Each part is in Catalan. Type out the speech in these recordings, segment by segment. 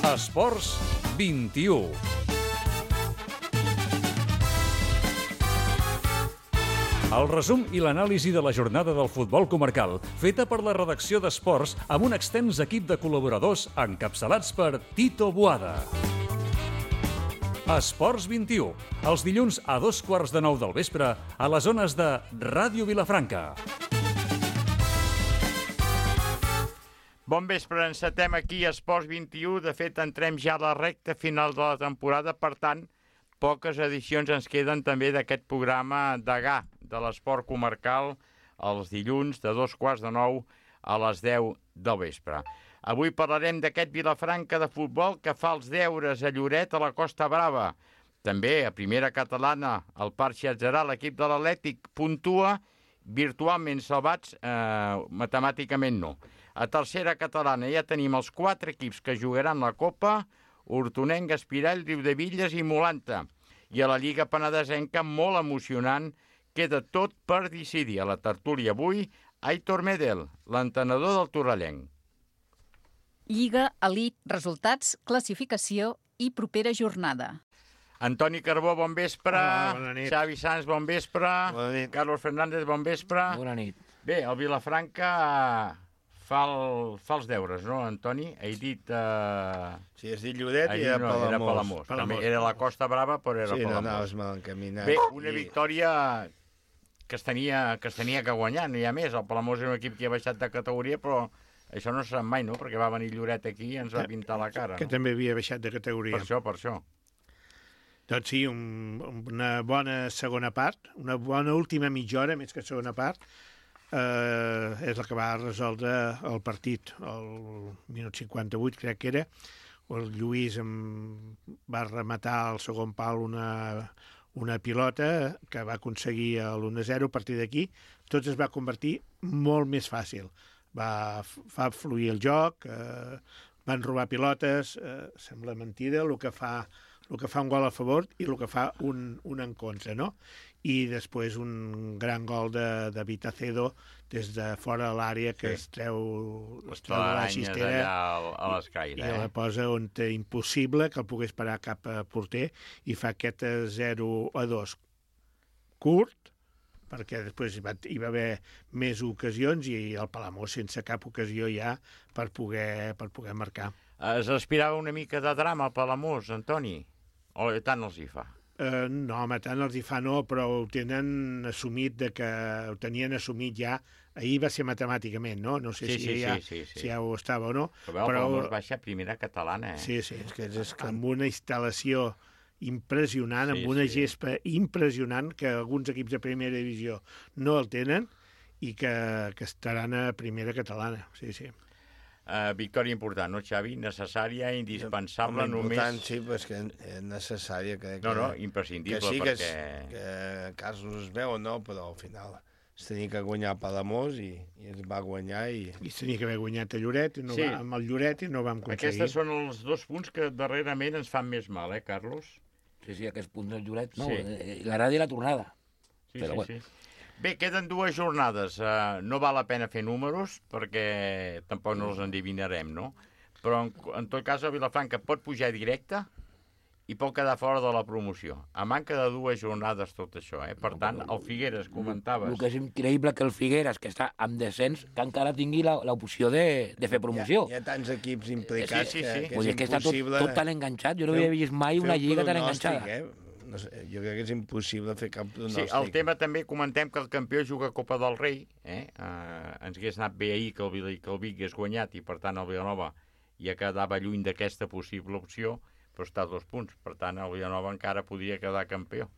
Esports 21. El resum i l'anàlisi de la jornada del futbol comarcal, feta per la redacció d'Esports amb un extens equip de col·laboradors encapçalats per Tito Boada. Esports 21, els dilluns a 8:15 del vespre a les zones de Ràdio Vilafranca. Bon vespre, encetem aquí a Esports 21. De fet, entrem ja a la recta final de la temporada, per tant, poques edicions ens queden també d'aquest programa degà de l'esport comarcal els dilluns de 8:15 a les 10 del vespre. Avui parlarem d'aquest Vilafranca de futbol que fa els deures a Lloret, a la Costa Brava. També a primera catalana, el Parc Xatzerà, l'equip de l'Atlètic puntua, virtualment salvats, matemàticament no. A tercera catalana ja tenim els 4 equips que jugaran la Copa: Hortonenc, Espirall, Riudevilles i Molanta. I a la Lliga Penedesenca, molt emocionant, queda tot per decidir. A la tertúlia avui, Aitor Medel, l'entenedor del Torrellenc. Lliga, elit, resultats, classificació i propera jornada. Antoni Carbó, bon vespre. Bona nit. Xavi Sanz, bon vespre. Bona nit. Carlos Fernández, bon vespre. Bona nit. Bé, el Vilafranca fa els deures, no, Antoni? He dit... Sí, has dit Lloret i era era Palamós. També era la Costa Brava, però era Sí, no Palamós. anaves mal encaminat. Bé, una victòria que es tenia que guanyar, no hi ha més. El Palamós és un equip que ha baixat de categoria, però això no se sap mai, no? Perquè va venir Lloret aquí i ens va pintar la cara, que no? també havia baixat de categoria. Per això. Doncs sí, una bona segona part, una bona última mitja hora, més que segona part, és la que va resoldre el partit. El minut 58, crec que era, el Lluís va rematar al segon pal una pilota que va aconseguir l'1-0. A partir d'aquí tot es va convertir molt més fàcil. Va fluir el joc, van robar pilotes, sembla mentida el que fa un gol a favor i el que fa un en contra, no? I després un gran gol de Vitacedo des de fora de l'àrea que es treu de la cistera a l'escaire, i la posa on té impossible que el pogués parar cap a porter i fa aquest 0-2 curt, perquè després hi va haver més ocasions i el Palamós sense cap ocasió ja per poder marcar. Es respirava una mica de drama al Palamós, Antoni? O tant els hi fa? No, home, tant els hi fa no, però ho tenien assumit ho tenien assumit ja. Ahir va ser matemàticament, no? No sé si ja ho estava o no. Però el Palamós baixa a primera catalana, Sí, és que és amb una instal·lació impressionant, amb una gespa impressionant, que alguns equips de primera divisió no el tenen i que estaran a primera catalana, sí. Victòria important, no, Xavi? Necessària, indispensable, només... Important, sí, però és que és necessària. No, imprescindible, perquè... Que casos es veuen, no, però al final es tenia que guanyar Palamós i es va guanyar i... I es tenia que haver guanyat a Lloret, amb el Lloret i no vam aconseguir. Aquests són els 2 punts que darrerament ens fan més mal, Carlos? Sí, aquests punts del Lloret, no, la ràdio i la tornada. Sí. Bé, queden 2 jornades. No val la pena fer números, perquè tampoc no els endivinarem, no? Però, en tot cas, el Vilafranca pot pujar directe i pot quedar fora de la promoció. A manca de 2 jornades tot això, Per tant, el Figueres, comentaves... El que és increïble que el Figueres, que està en descens, que encara tingui l'opció de fer promoció. Hi ha tants equips implicats que és impossible... que està tot tan enganxat. Jo no havia vist mai una lliga tan enganxada. No sé, jo crec que és impossible fer cap pronòstic. Sí, el tema també comentem que el campió juga Copa del Rei. Ens hagués anat bé ahir que el Vic hagués guanyat i, per tant, el Vilanova ja quedava lluny d'aquesta possible opció, però està a 2 punts. Per tant, el Vilanova encara podria quedar campió.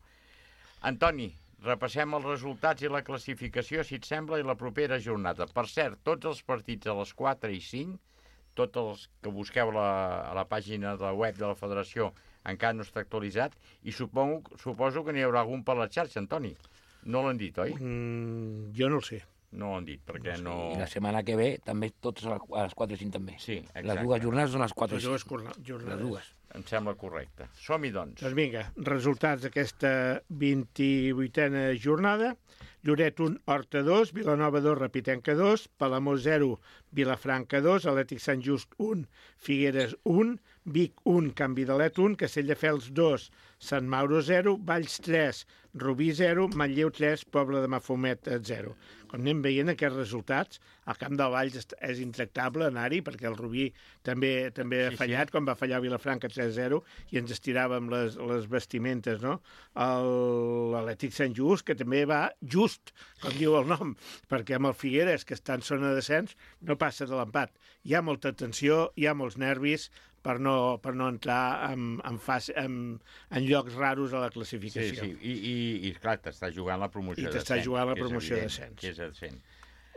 Antoni, repassem els resultats i la classificació, si et sembla, i la propera jornada. Per cert, tots els partits a les 4 i 5, tots els que busqueu a la pàgina de la web de la Federació, encara no està actualitzat, i suposo que n'hi haurà algun per la xarxa, Antoni. No l'han dit, oi? Jo no el sé. No l'han dit, perquè no... I la setmana que ve també tots a les 4 i 5 també. Sí, exacte. Les 2 jornades són les 4 i 5. Les dues. Em sembla correcte. Som-hi, doncs. Doncs vinga, resultats d'aquesta 28a jornada. Lloret 1, Horta 2, Vilanova 2, Repitenca 2, Palamós 0, Vilafranca 2, Atlètic Sant Just 1, Figueres 1, Vic 1, Can Vidalet 1, Castelldefels 2, Sant Mauro 0, Valls 3, Rubí 0, Manlleu 3, Pobla de Mafumet 0. Com anem veient aquests resultats, el camp del Valls és intractable anar-hi, perquè el Rubí també ha fallat, quan va fallar Vilafranca 3-0, i ens estiràvem les vestimentes, no? L'Atlètic Sant Just, que també va just, com diu el nom, perquè amb el Figueres, que està en zona de descens, no passa de l'empat. Hi ha molta tensió, hi ha molts nervis, per no entrar en llocs raros a la classificació. Sí, i clar, t'està jugant la promoció de descens. I t'està jugant la promoció de descens. Que és descens.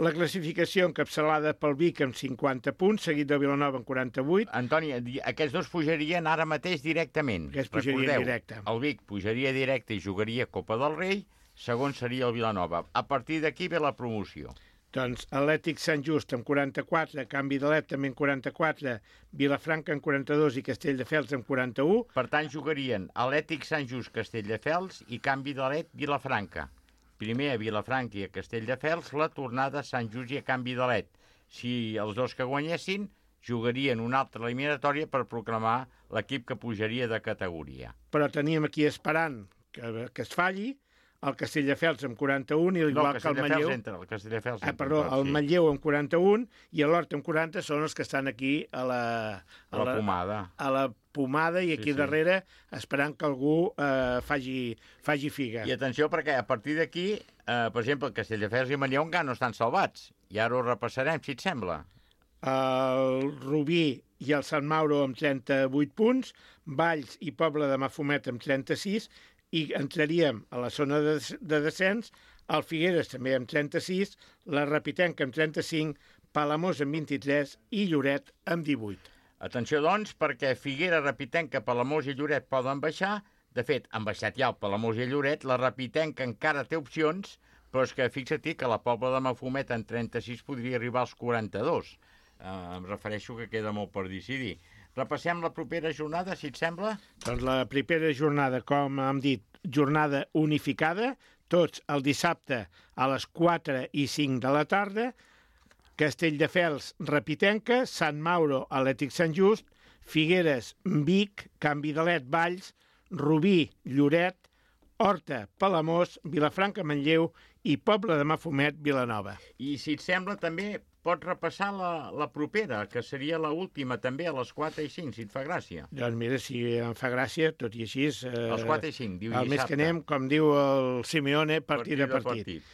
La classificació encapçalada pel Vic amb 50 punts, seguit de Vilanova amb 48. Antoni, aquests dos pujarien ara mateix directament. Aquests pujarien directe. El Vic pujaria directe i jugaria Copa del Rei, segon seria el Vilanova. A partir d'aquí ve la promoció. Doncs Atlètic Sant Just amb 44, Can Vidalet també amb 44, Vilafranca amb 42 i Castelldefels amb 41. Per tant, jugarien Atlètic Sant Just, Castelldefels i Can Vidalet, Vilafranca. Primer a Vilafranca i a Castelldefels, la tornada a Sant Just i a Can Vidalet. Si els dos que guanyessin, jugarien una altra eliminatòria per proclamar l'equip que pujaria de categoria. Però teníem aquí esperant que es falli, el Castelldefels amb 41 i igual que el Manlleu. El Manlleu amb 41 i l'Horta amb 40 són els que estan aquí a la pomada i aquí darrere esperant que algú faci figa. I atenció perquè a partir d'aquí, per exemple, el Castelldefels i el Manlleu encara no estan salvats. I ara ho repassarem, si et sembla. El Rubí i el Sant Mauro amb 38 punts, Valls i Pobla de Mafumet amb 36, i entraríem a la zona de descens, el Figueres també amb 36, la Repitenca amb 35, Palamós amb 23 i Lloret amb 18. Atenció, doncs, perquè Figueres, Repitenca, Palamós i Lloret poden baixar. De fet, han baixat ja el Palamós i Lloret, la Repitenca encara té opcions, però és que fixa't que la Pobla de Mafumet en 36 podria arribar als 42. Em refereixo que queda molt per decidir. Repassem la propera jornada, si et sembla? Doncs la propera jornada, com hem dit, jornada unificada, tots el dissabte a les 4 i 5 de la tarda, Castelldefels, Repitenca, Sant Mauro, Atlètic Sant Just, Figueres, Vic, Can Vidalet, Valls, Rubí, Lloret, Horta, Palamós, Vilafranca, Manlleu i Pobla de Mafumet, Vilanova. I si et sembla també pots repassar la propera, que seria l'última també a les 4 i 5, si et fa gràcia. Doncs mira, si em fa gràcia, tot i així... Els 4 i 5, diu dissabte. El mes que anem, com diu el Simeone, partit a partit.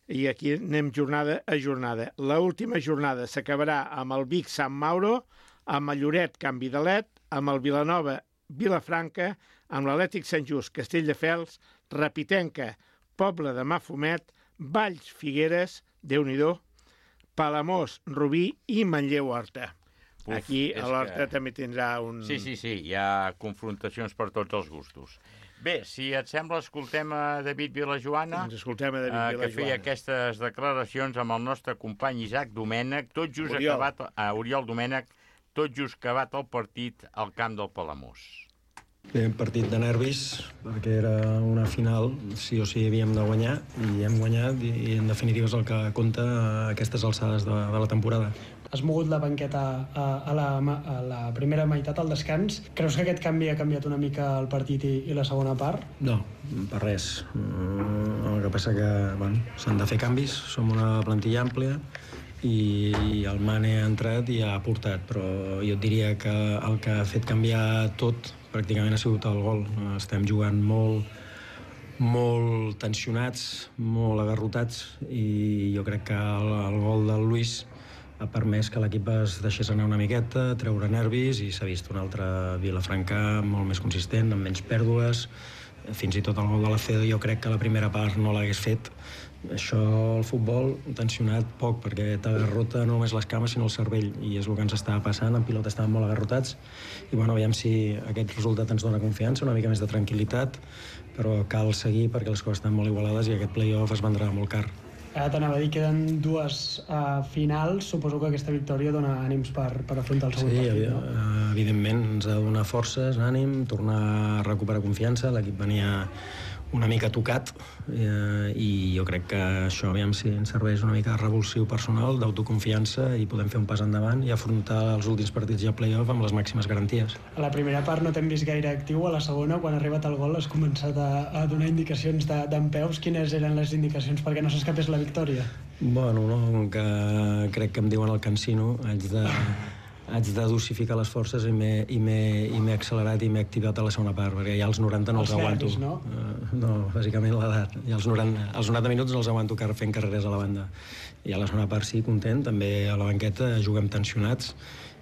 I aquí anem jornada a jornada. L'última jornada s'acabarà amb el Vic Sant Mauro, amb el Lloret Can Vidalet, amb el Vilanova Vilafranca, amb l'Atlètic Sant Just Castelldefels, Repitenca, Pobla de Mafumet, Valls Figueres, Déu-n'hi-do, Palamós, Rubí i Manlleu Horta. Aquí a l'Horta també tindrà un... Sí, hi ha confrontacions per tots els gustos. Bé, si et sembla, escoltem a David Vilajoana, que feia aquestes declaracions amb el nostre company Isaac Domènech, Oriol Domènech, tot just acabat el partit al camp del Palamós. Bé, un partit de nervis, perquè era una final, sí o sí havíem de guanyar, i hem guanyat, i en definitiva és el que compta a aquestes alçades de la temporada. Has mogut la banqueta a la primera meitat, al descans. Creus que aquest canvi ha canviat una mica el partit i la segona part? No, per res. El que passa que s'han de fer canvis, som una plantilla àmplia, i el Mane ha entrat i ha aportat, però jo et diria que el que ha fet canviar tot pràcticament ha sigut el gol. Estem jugant molt tensionats, molt agarrotats, i jo crec que el gol del Luis ha permès que l'equip es deixés anar una miqueta, treure nervis, i s'ha vist un altre Vilafranca molt més consistent, amb menys pèrdues. Fins i tot el gol de la Cedo jo crec que la primera part no l'hagués fet. Això, el futbol, tensionat poc, perquè t'agarrota no només les cames sinó el cervell, i és el que ens estava passant. En pilota estàvem molt agarrotats, i aviam si aquest resultat ens dona confiança, una mica més de tranquil·litat, però cal seguir perquè les coses estan molt igualades i aquest play-off es vendrà molt car. Ara t'anava a dir, queden dues finals. Suposo que aquesta victòria dona ànims per afrontar el segon partit. Sí, evidentment, ens ha de donar forces, ànim, tornar a recuperar confiança. L'equip venia una mica tocat i jo crec que això aviam si ens serveix una mica de revulsiu personal, d'autoconfiança i podem fer un pas endavant i afrontar els últims partits ja play-off amb les màximes garanties. A la primera part no t'hem vist gaire actiu, a la segona, quan ha arribat el gol, has començat a donar indicacions d'en peus. Quines eren les indicacions perquè no s'escapés la victòria? Bueno, no, que crec que em diuen el cansino, haig de dosificar les forces i m'he accelerat i m'he activat a la segona part, perquè ja als 90 no els aguanto. Nervis, no? No, bàsicament l'edat. Ja als 90 minuts no els aguanto fent carreres a la banda. I a la segona part sí, content. També a la banqueta juguem tensionats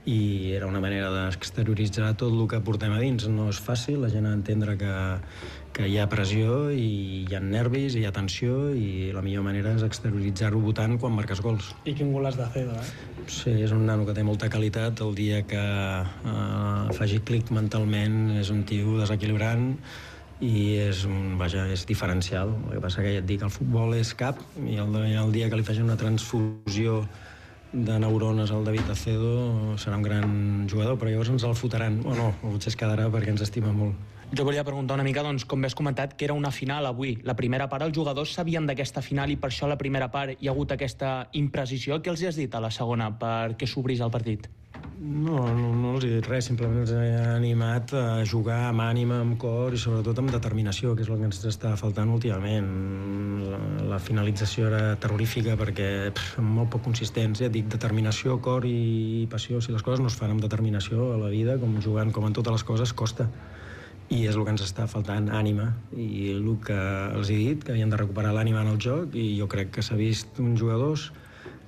i era una manera d'exterioritzar tot el que portem a dins. No és fàcil, la gent ha d'entendre que hi ha pressió i hi ha nervis i hi ha tensió i la millor manera és exterioritzar-ho votant quan marques gols. I quin gol has de fer, Sí, és un nano que té molta qualitat. El dia que faci clic mentalment és un tio desequilibrant i és diferencial. El que passa que ja et dic, el futbol és cap i el dia que li faci una transfusió de neurones al David Acedo serà un gran jugador, però llavors ens el fotran. O no, potser es quedarà perquè ens estima molt. Jo volia preguntar una mica, doncs, com has comentat, que era una final avui. La primera part, els jugadors sabien d'aquesta final i per això a la primera part hi ha hagut aquesta imprecisió. Què els has dit a la segona perquè s'obrís el partit? No els he dit res, simplement els he animat a jugar amb ànima, amb cor i sobretot amb determinació, que és el que ens està faltant últimament. La finalització era terrorífica perquè molt poc consistents. Ja et dic, determinació, cor i passió. Si les coses no es fan amb determinació a la vida, com jugant com en totes les coses, costa. I és el que ens està faltant, ànima. I el que els he dit, que havien de recuperar l'ànima en el joc, i jo crec que s'ha vist uns jugadors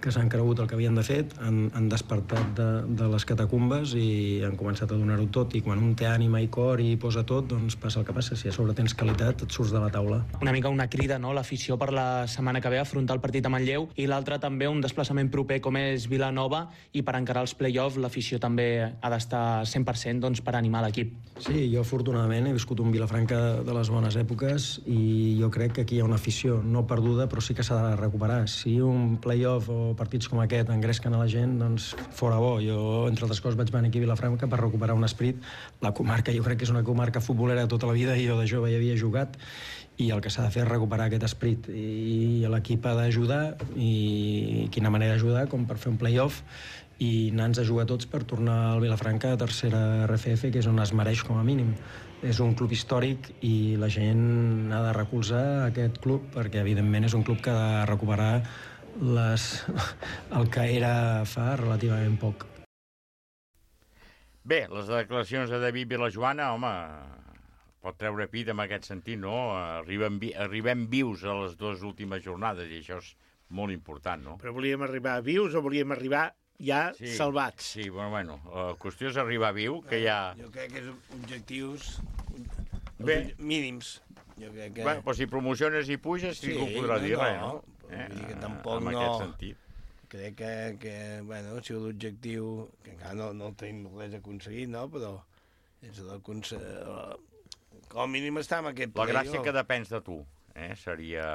que s'han cregut el que havien de fer, han despertat de les catacumbes i han començat a donar-ho tot. I quan un té ànima i cor i posa tot, doncs passa el que passa. Si a sobre tens qualitat, et surts de la taula. Una mica una crida, no?, l'afició per la setmana que ve a afrontar el partit a Manlleu, i l'altre també un desplaçament proper com és Vilanova, i per encarar els play-off l'afició també ha d'estar 100% doncs, per animar l'equip. Sí, jo afortunadament he viscut un Vilafranca de les bones èpoques i jo crec que aquí hi ha una afició no perduda, però sí que s'ha de recuperar. Si un play-off o partits com aquest engresquen a la gent, doncs fora bo. Jo, entre altres coses, vaig venir aquí a Vilafranca per recuperar un esperit. La comarca, jo crec que és una comarca futbolera tota la vida i jo de jove hi havia jugat i el que s'ha de fer és recuperar aquest esperit i l'equip ha d'ajudar i quina manera d'ajudar com per fer un play-off i anar-nos a jugar tots per tornar al Vilafranca a tercera RFF, que és on es mereix com a mínim. És un club històric i la gent ha de recolzar aquest club perquè evidentment és un club que ha de recuperar el que era fa relativament poc. Bé, les declaracions de David Vilajoana, home, pot treure pit en aquest sentit, no? Arribem vius a les dues últimes jornades i això és molt important, no? Però volíem arribar vius o volíem arribar ja salvats? Sí, bueno, la qüestió és arribar viu, que ja... Jo crec que és objectius mínims. Jo crec que... Bueno, però si promociones i puges, ningú podrà dir res, no? Vull dir que tampoc en aquest sentit. Crec que bueno, ha sigut l'objectiu, que encara no tenim res aconseguit, no? Però és com a mínim està en aquest play. La gràcia que depens de tu, seria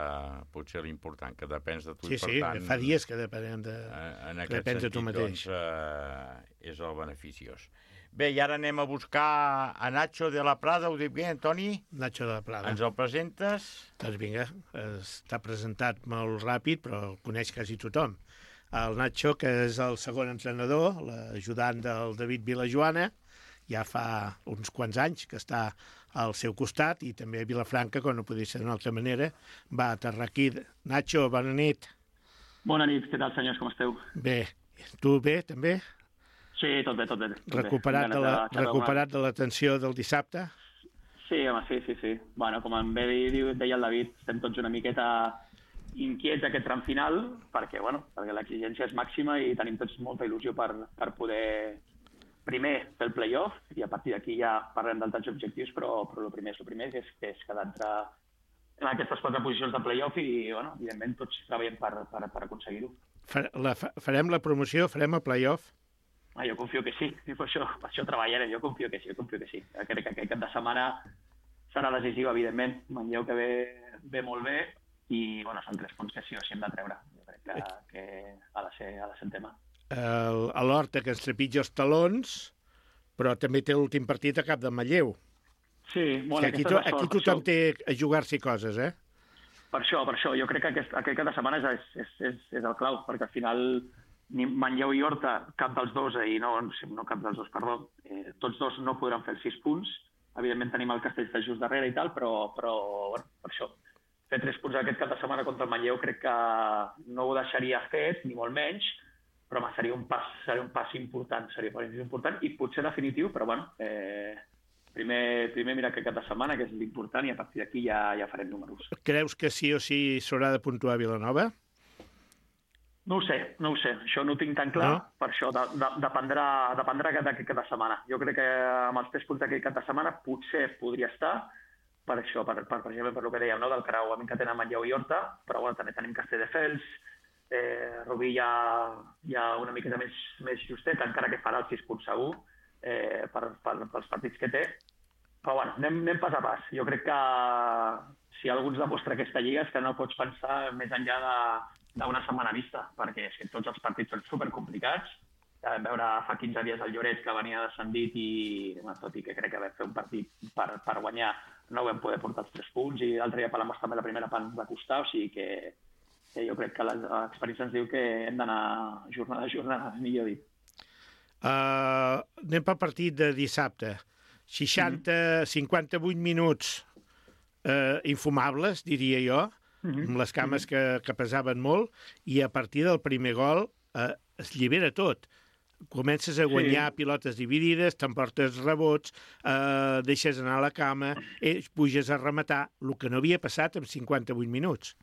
potser l'important, que depens de tu. Sí, i per tant, fa dies que depens de tu mateix. Doncs, és el beneficiós. Bé, i ara anem a buscar a Nacho de la Prada, ho dic bé, Antoni? Nacho de la Prada. Ens el presentes? Doncs vinga, està presentat molt ràpid, però el coneix quasi tothom. El Nacho, que és el segon entrenador, l'ajudant del David Vilajoana, ja fa uns quants anys que està al seu costat, i també a Vilafranca, com no podia ser d'una altra manera, va aterrar aquí. Nacho, bona nit. Bona nit, què tal, senyors, com esteu? Bé, tu bé, també? Sí, tot bé. Recuperat de la tensió del dissabte? Sí, home, sí. Bueno, com em deia el David, estem tots una miqueta inquiets aquest tram final, perquè l'exigència és màxima i tenim tots molta il·lusió per poder primer fer el play-off, i a partir d'aquí ja parlem d'altres objectius, però el primer que és quedar en aquestes 4 posicions de play-off i, evidentment, tots treballem per aconseguir-ho. Farem la promoció, farem el play-off? Jo confio que sí, per això treballarem, jo confio que sí. Crec que aquest cap de setmana serà decisiu, evidentment. Manlleu que ve molt bé i són 3 punts que sí o sí hem de treure. Jo crec que ha de ser el tema. L'Horta que ens trepitja els talons, però també té l'últim partit a cap de Manlleu. Sí, bueno, aquí tothom té a jugar-s'hi coses, eh? Per això, jo crec que aquest cap de setmana és el clau, perquè al final ni Manlleu i Horta, cap dels dos, tots dos no podran fer els 6 punts. Evidentment tenim el Castelldefels just darrere i tal, però bueno, per això. Fer 3 punts aquest cap de setmana contra el Manlleu crec que no ho deixaria fet, ni molt menys, però seria un pas important, i potser definitiu, però bueno, primer mirar aquest cap de setmana, que és l'important, i a partir d'aquí ja farem números. Creus que sí o sí s'haurà de puntuar Vilanova? No ho sé, això no ho tinc tan clar, no? Per això dependrà d'aquest cap de setmana. Jo crec que amb els 3 punts d'aquest cap de setmana potser podria estar, per això, per exemple, per el que dèiem, no? Del creuament que tenen Manlleu i Horta, però bueno, també tenim Castelldefels, Rubí ja una miqueta més justet, encara que farà els 6 punts segur, pels partits que té. Però bueno, anem pas a pas. Jo crec que si algú ens demostra aquesta lliga és que no pots pensar més enllà d'una setmana vista, perquè és que tots els partits són supercomplicats. Ja vam veure fa 15 dies el Lloret, que venia descendit i, tot i que crec que vam fer un partit per guanyar, no vam poder portar els 3 punts, i l'altre dia Palamós també la primera part ens va costar, o sigui que jo crec que l'experiència ens diu que hem d'anar jornada a jornada, millor dit. Anem pel partit de dissabte. 58 minuts infumables, diria jo, amb les cames que pesaven molt, i a partir del primer gol es llibera tot. Comences a guanyar pilotes dividides, t'emportes rebots, deixes anar a la cama, puges a rematar, el que no havia passat en 58 minuts.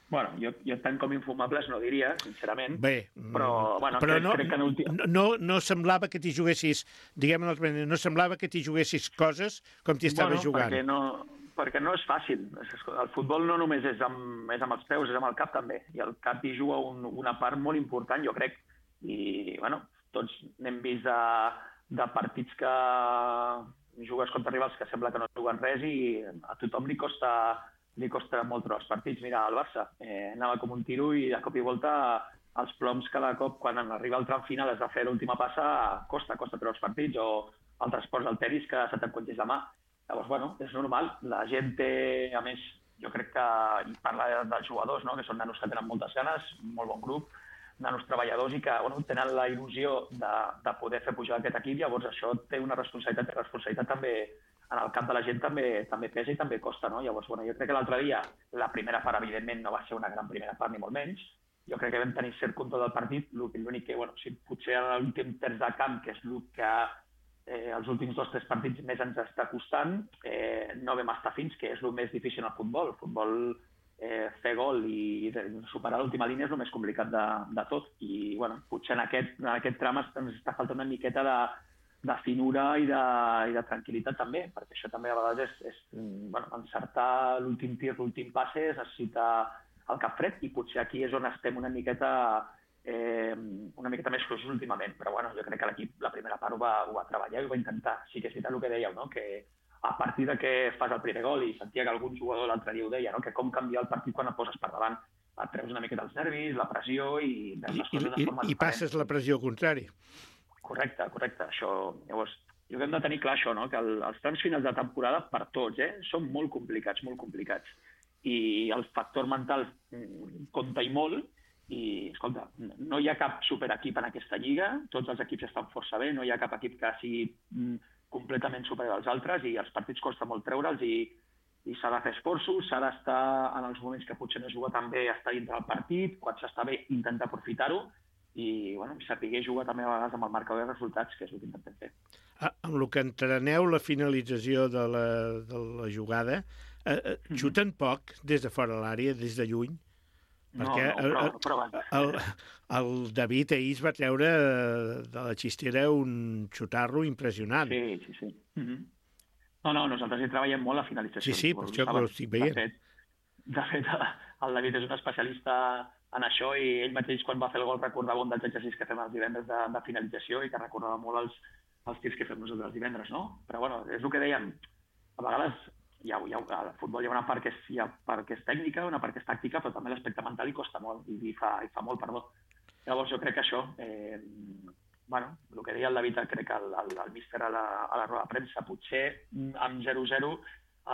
Bueno, jo tant com infumables no diria, sincerament. Bé, però crec que no semblava que t'hi juguessis, no semblava que t'hi juguessis coses com t'hi estaves jugant. Perquè no és fàcil. El futbol no només és amb els peus, és amb el cap també. I el cap hi juga una part molt important, jo crec. I, bueno, tots n'hem vist de partits que jugues contra rivals que sembla que no juguen res i a tothom li costa molt trobar els partits. Mira, el Barça anava com un tiro i de cop i volta els ploms cada cop, quan arriba el tram final has de fer l'última passa, costa treure els partits, o altres esports del tenis que se t'encongeix la mà. Llavors, bueno, és normal. La gent té, a més, jo crec que, i parla dels jugadors, no? Que són nanos que tenen moltes ganes, molt bon grup, nanos treballadors i que tenen la il·lusió de poder fer pujar aquest equip, llavors això té una responsabilitat, i responsabilitat també en el cap de la gent també pesa i també costa, no? Llavors, jo crec que l'altre dia la primera part, evidentment, no va ser una gran primera part, ni molt menys. Jo crec que vam tenir cert control del partit, l'únic que, potser en l'últim terç de camp, que és el que els últims 2 o 3 partits més ens està costant, no vam estar fins, que és el més difícil en el futbol. El futbol, fer gol i superar l'última línia és el més complicat de tot. I, potser en aquest tram ens està faltant una miqueta de finura i de tranquil·litat també, perquè això també a vegades és encertar l'últim tir, l'últim passe, es necessita el cap fred, i potser aquí és on estem una miqueta més fluixos últimament, però jo crec que l'equip la primera part ho va treballar i ho va intentar. Sí que és veritat el que dèieu, no? Que a partir de que fas el primer gol, i sentia que algun jugador l'altre dia ho deia, no? Que com canviar el partit quan et poses per davant, et treus una miqueta els nervis, la pressió i veus les coses de forma diferent. I passes la pressió contrari. Correcte. Això, llavors, jo hem de tenir clar això, no? Que els trams finals de temporada per tots són molt complicats. I el factor mental compta i molt. I, escolta, no hi ha cap superequip en aquesta lliga, tots els equips estan força bé, no hi ha cap equip que sigui completament superior als altres, i els partits costa molt treure'ls, i s'ha de fer esforços, s'ha d'estar en els moments que potser no es juga tan bé, estar dintre del partit, quan s'està bé intentar aprofitar-ho, i saber jugar també a vegades amb el marcador de resultats, que és el que intentem fer. Amb el que entreneu la finalització de la jugada, xuten poc des de fora l'àrea, des de lluny? Perquè el David ahir es va treure de la xistera un xutarro impressionant. Sí. No, nosaltres hi treballem molt a finalització. Sí, per això que ho estic veient. De fet, el David és un especialista en això, i ell mateix, quan va fer el gol, recordava un dels exercicis que fem els divendres de finalització, i que recordava molt els tirs que fem nosaltres els divendres, no? Però, és el que dèiem, a vegades al futbol hi ha una part que és tècnica, una part que és tàctica, però també l'aspecte mental hi costa molt, i fa molt, perdó. Llavors jo crec que això, bueno, el que deia el David, crec que el míster a la roda de premsa, potser amb 0-0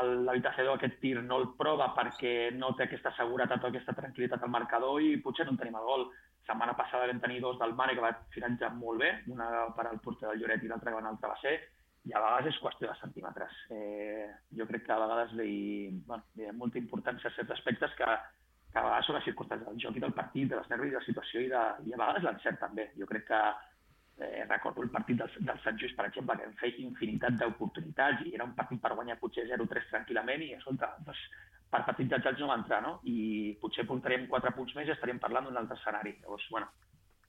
el David Acedo aquest tir no el prova perquè no té aquesta seguretat o aquesta tranquil·litat al marcador i potser no en tenim el gol. Setmana passada vam tenir dos del Mane que va finalitzar molt bé, una per al porter del Lloret i l'altra que va en el travesser, i a vegades és qüestió de centímetres. Jo crec que a vegades li ha molta importància a certs aspectes que a vegades són les circumstàncies del joc i del partit, de les nervis, de la situació i a vegades l'encert també. Jo crec que recordo el partit del Sant Just, per exemple, que vam fer infinitat d'oportunitats i era un partit per guanyar potser 0-3 tranquil·lament i, escolta, doncs, per partits d'atzats no va entrar, no? I potser portaríem 4 punts més i estaríem parlant d'un altre escenari. Llavors, bueno,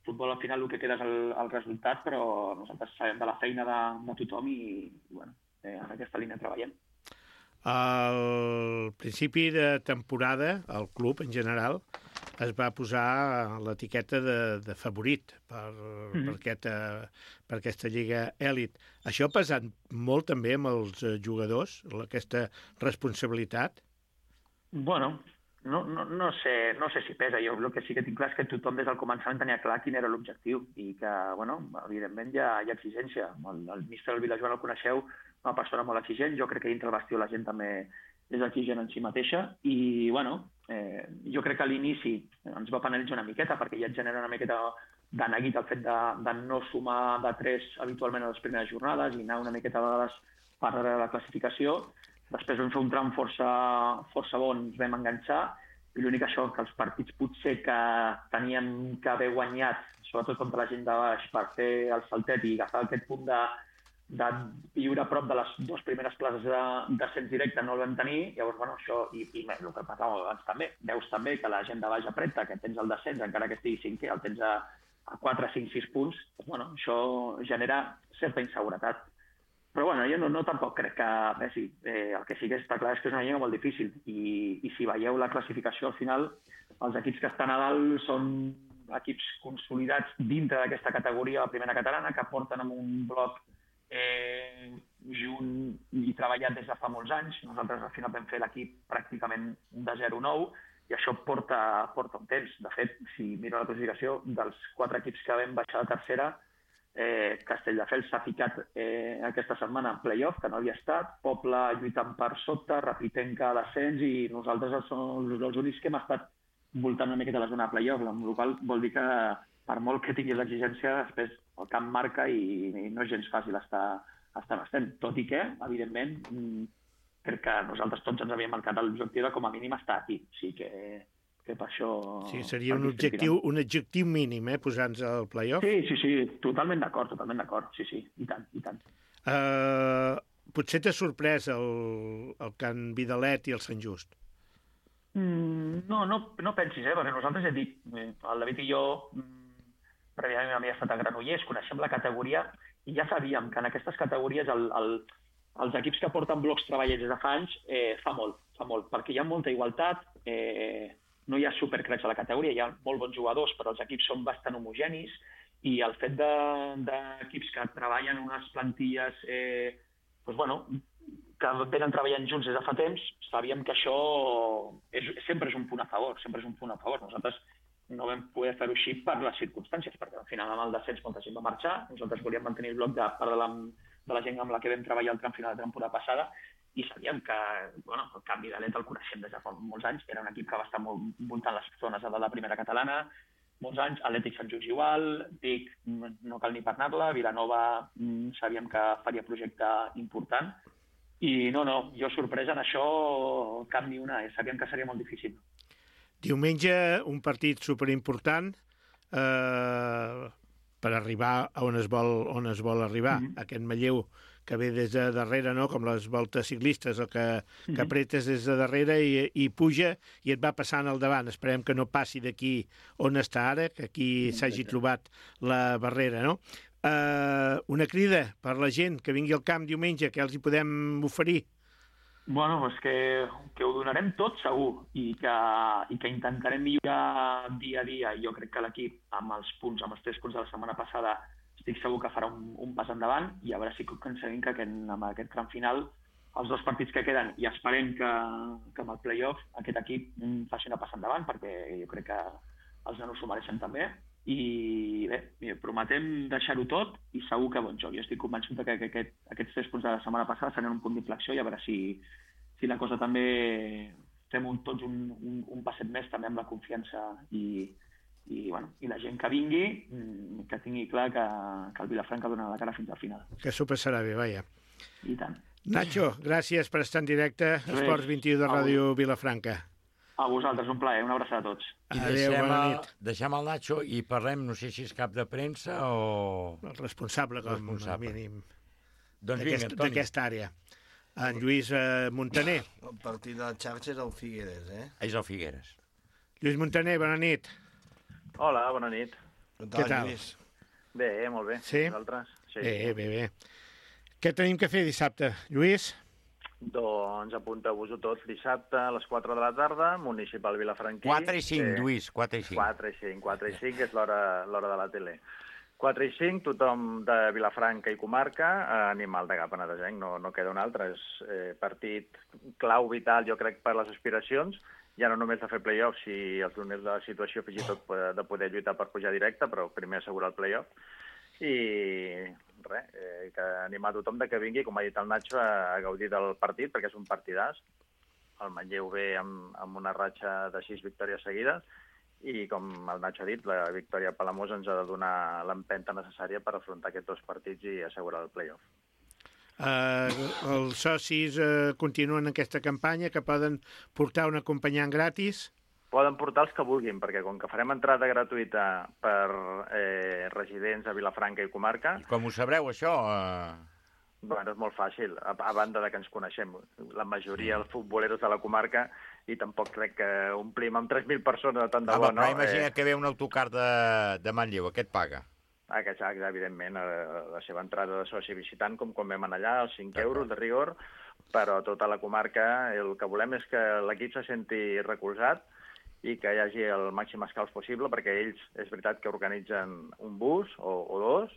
futbol al final el que queda és el resultat, però nosaltres sabem de la feina de tothom i bueno, en aquesta línia treballem. Al principi de temporada, el club en general es va posar l'etiqueta de favorit per aquesta lliga èlit. Això ha pesat molt també amb els jugadors, aquesta responsabilitat? Bueno, no sé si pesa. Jo el que sí que tinc clar és que tothom des del començament tenia clar quin era l'objectiu i que, bueno, evidentment hi ha exigència. El míster del Vilajoan el coneixeu, una persona molt exigent. Jo crec que dintre el bastió la gent també és exigent en si mateixa i, bueno, jo crec que a l'inici ens va penalitzar una miqueta perquè ja et genera una miqueta de neguit el fet de no sumar de 3 habitualment a les primeres jornades i anar una miqueta a vegades per darrere la classificació. Després vam fer un tram força bon, ens vam enganxar i l'únic això, que els partits potser que teníem que haver guanyat, sobretot contra la gent de baix, per fer el saltet i agafar aquest punt de viure a prop de les 2 primeres places d'ascens directe no el vam tenir, llavors, bueno, això, i el que parlàvem abans també, veus també que la gent de baix apreta, que tens el descens, encara que estigui 5è, el tens a 4, 5, 6 punts, doncs, bueno, això genera certa inseguretat. Però, bueno, jo no tampoc crec que pesi. El que sí que està clar és que és una lliga molt difícil i si veieu la classificació al final, els equips que estan a dalt són equips consolidats dintre d'aquesta categoria, la primera catalana, que porten amb un bloc junt i treballat des de fa molts anys. Nosaltres al final vam fer l'equip pràcticament de 0-9 i això porta un temps. De fet, si miro la classificació, dels 4 equips que vam baixar de tercera, Castelldefels s'ha ficat aquesta setmana en play-off, que no havia estat, Poble lluitant per sota, Rapitenca a l'ascens i nosaltres som els únics que hem estat voltant una miqueta la zona de play-off, amb la qual vol dir que per molt que tinguis l'exigència, després el camp marca i no és gens fàcil estar on estem. Tot i que, evidentment, crec que nosaltres tots ens havíem marcat l'objectiu de com a mínim estar aquí. O sigui que per això... Sí, seria un objectiu mínim, posar-nos al play-off? Sí, totalment d'acord, sí, i tant. Potser t'ha sorprès el Can Vidalet i el Sant Just? No pensis, perquè nosaltres hem dit, el David i jo, prèviament havia estat a Granollers, coneixem la categoria i ja sabíem que en aquestes categories els equips que porten blocs treballers des de fa anys fa molt, perquè hi ha molta igualtat, no hi ha supercracks a la categoria, hi ha molt bons jugadors, però els equips són bastant homogenis i el fet d'equips que treballen unes plantilles que venen treballant junts des de fa temps, sabíem que això sempre és un punt a favor, Nosaltres no vam poder fer-ho així per les circumstàncies, perquè al final amb el descens molta gent va marxar, nosaltres volíem mantenir el bloc de part de la gent amb la que vam treballar el tram final de temporada passada i sabíem que el Can Vidalet el coneixem des de fa molts anys, era un equip que va estar molt voltant les zones de la primera catalana, molts anys, Atlètic Sant Just igual, Vic no cal ni parlar-la, Vilanova sabíem que faria projecte important i jo sorpresa en això cap ni una, sabíem que seria molt difícil. Diumenge, un partit superimportant per arribar a on es vol arribar. Aquest Manlleu que ve des de darrere, no? Com les voltes ciclistes, el que apretes des de darrere i puja i et va passant al davant. Esperem que no passi d'aquí on està ara, que aquí s'hagi trobat la barrera, no? Una crida per la gent que vingui al camp diumenge, que els hi podem oferir? És que ho donarem tot segur i que intentarem millorar dia a dia. Jo crec que l'equip, amb els 3 punts de la setmana passada, estic segur que farà un pas endavant i a veure si aconseguim que amb aquest tram final, els 2 partits que queden, i esperem que amb el play-off aquest equip faci una pas endavant, perquè jo crec que els nanos s'ho mereixen també, i bé, prometem deixar-ho tot i segur que bon joc. Jo estic convençut que aquests 3 punts de la setmana passada seran un punt d'inflexió i a veure si la cosa també fem tots un passet més també amb la confiança i la gent que vingui que tingui clar que el Vilafranca dona la cara fins al final. Que s'ho passarà bé, vaja. I tant. Nacho, gràcies per estar en directe a Esports 21 de Ràdio Vilafranca. A vosaltres, un plaer, una abraçada a tots. I deixem el Nacho i parlem, no sé si és cap de premsa o... El responsable, com a mínim, d'aquesta àrea. En Lluís Montaner. El partit de la xarxa és el Figueres, És el Figueres. Lluís Montaner, bona nit. Hola, bona nit. Què tal? Bé, molt bé. Sí? Vosaltres? Sí. Bé. Què tenim que fer dissabte, Lluís? Doncs apunteu-vos-ho tot dissabte a les 4 de la tarda, Municipal Vilafranquí. 4 i 5, Lluís, 4 i 5. 4 i 5 és l'hora de la tele. 4 i 5, tothom de Vilafranca i comarca, animal de Gap Penedesenc, no queda un altre. És partit clau, vital, jo crec, per les aspiracions, ja no només de fer play-off, si els donés la situació fins i tot de poder lluitar per pujar directe, però primer assegurar el play-off. I res, que animar tothom que vingui, com ha dit el Nacho, a gaudir del partit, perquè és un partidàs. El Manlleu ve amb una ratxa de 6 victòries seguides i, com el Nacho ha dit, la victòria a Palamós ens ha de donar l'empenta necessària per afrontar aquests 2 partits i assegurar el play-off. Els socis continuen aquesta campanya, que poden portar un acompanyant gratis? Poden portar els que vulguin, perquè com que farem entrada gratuïta per residents a Vilafranca i comarca... I com ho sabreu, això? Bueno, és molt fàcil, a banda de que ens coneixem. La majoria dels futboleros de la comarca i tampoc crec que omplim amb 3.000 persones de tant de bo, no? Però imagina que ve un autocar de Manlleu, aquest paga? Exacte, evidentment, la seva entrada de soci visitant, com quan vam anar allà, els 5 euros de rigor, però tota la comarca el que volem és que l'equip se senti recolzat i que hi hagi el màxim escalf possible, perquè ells és veritat que organitzen un bus o 2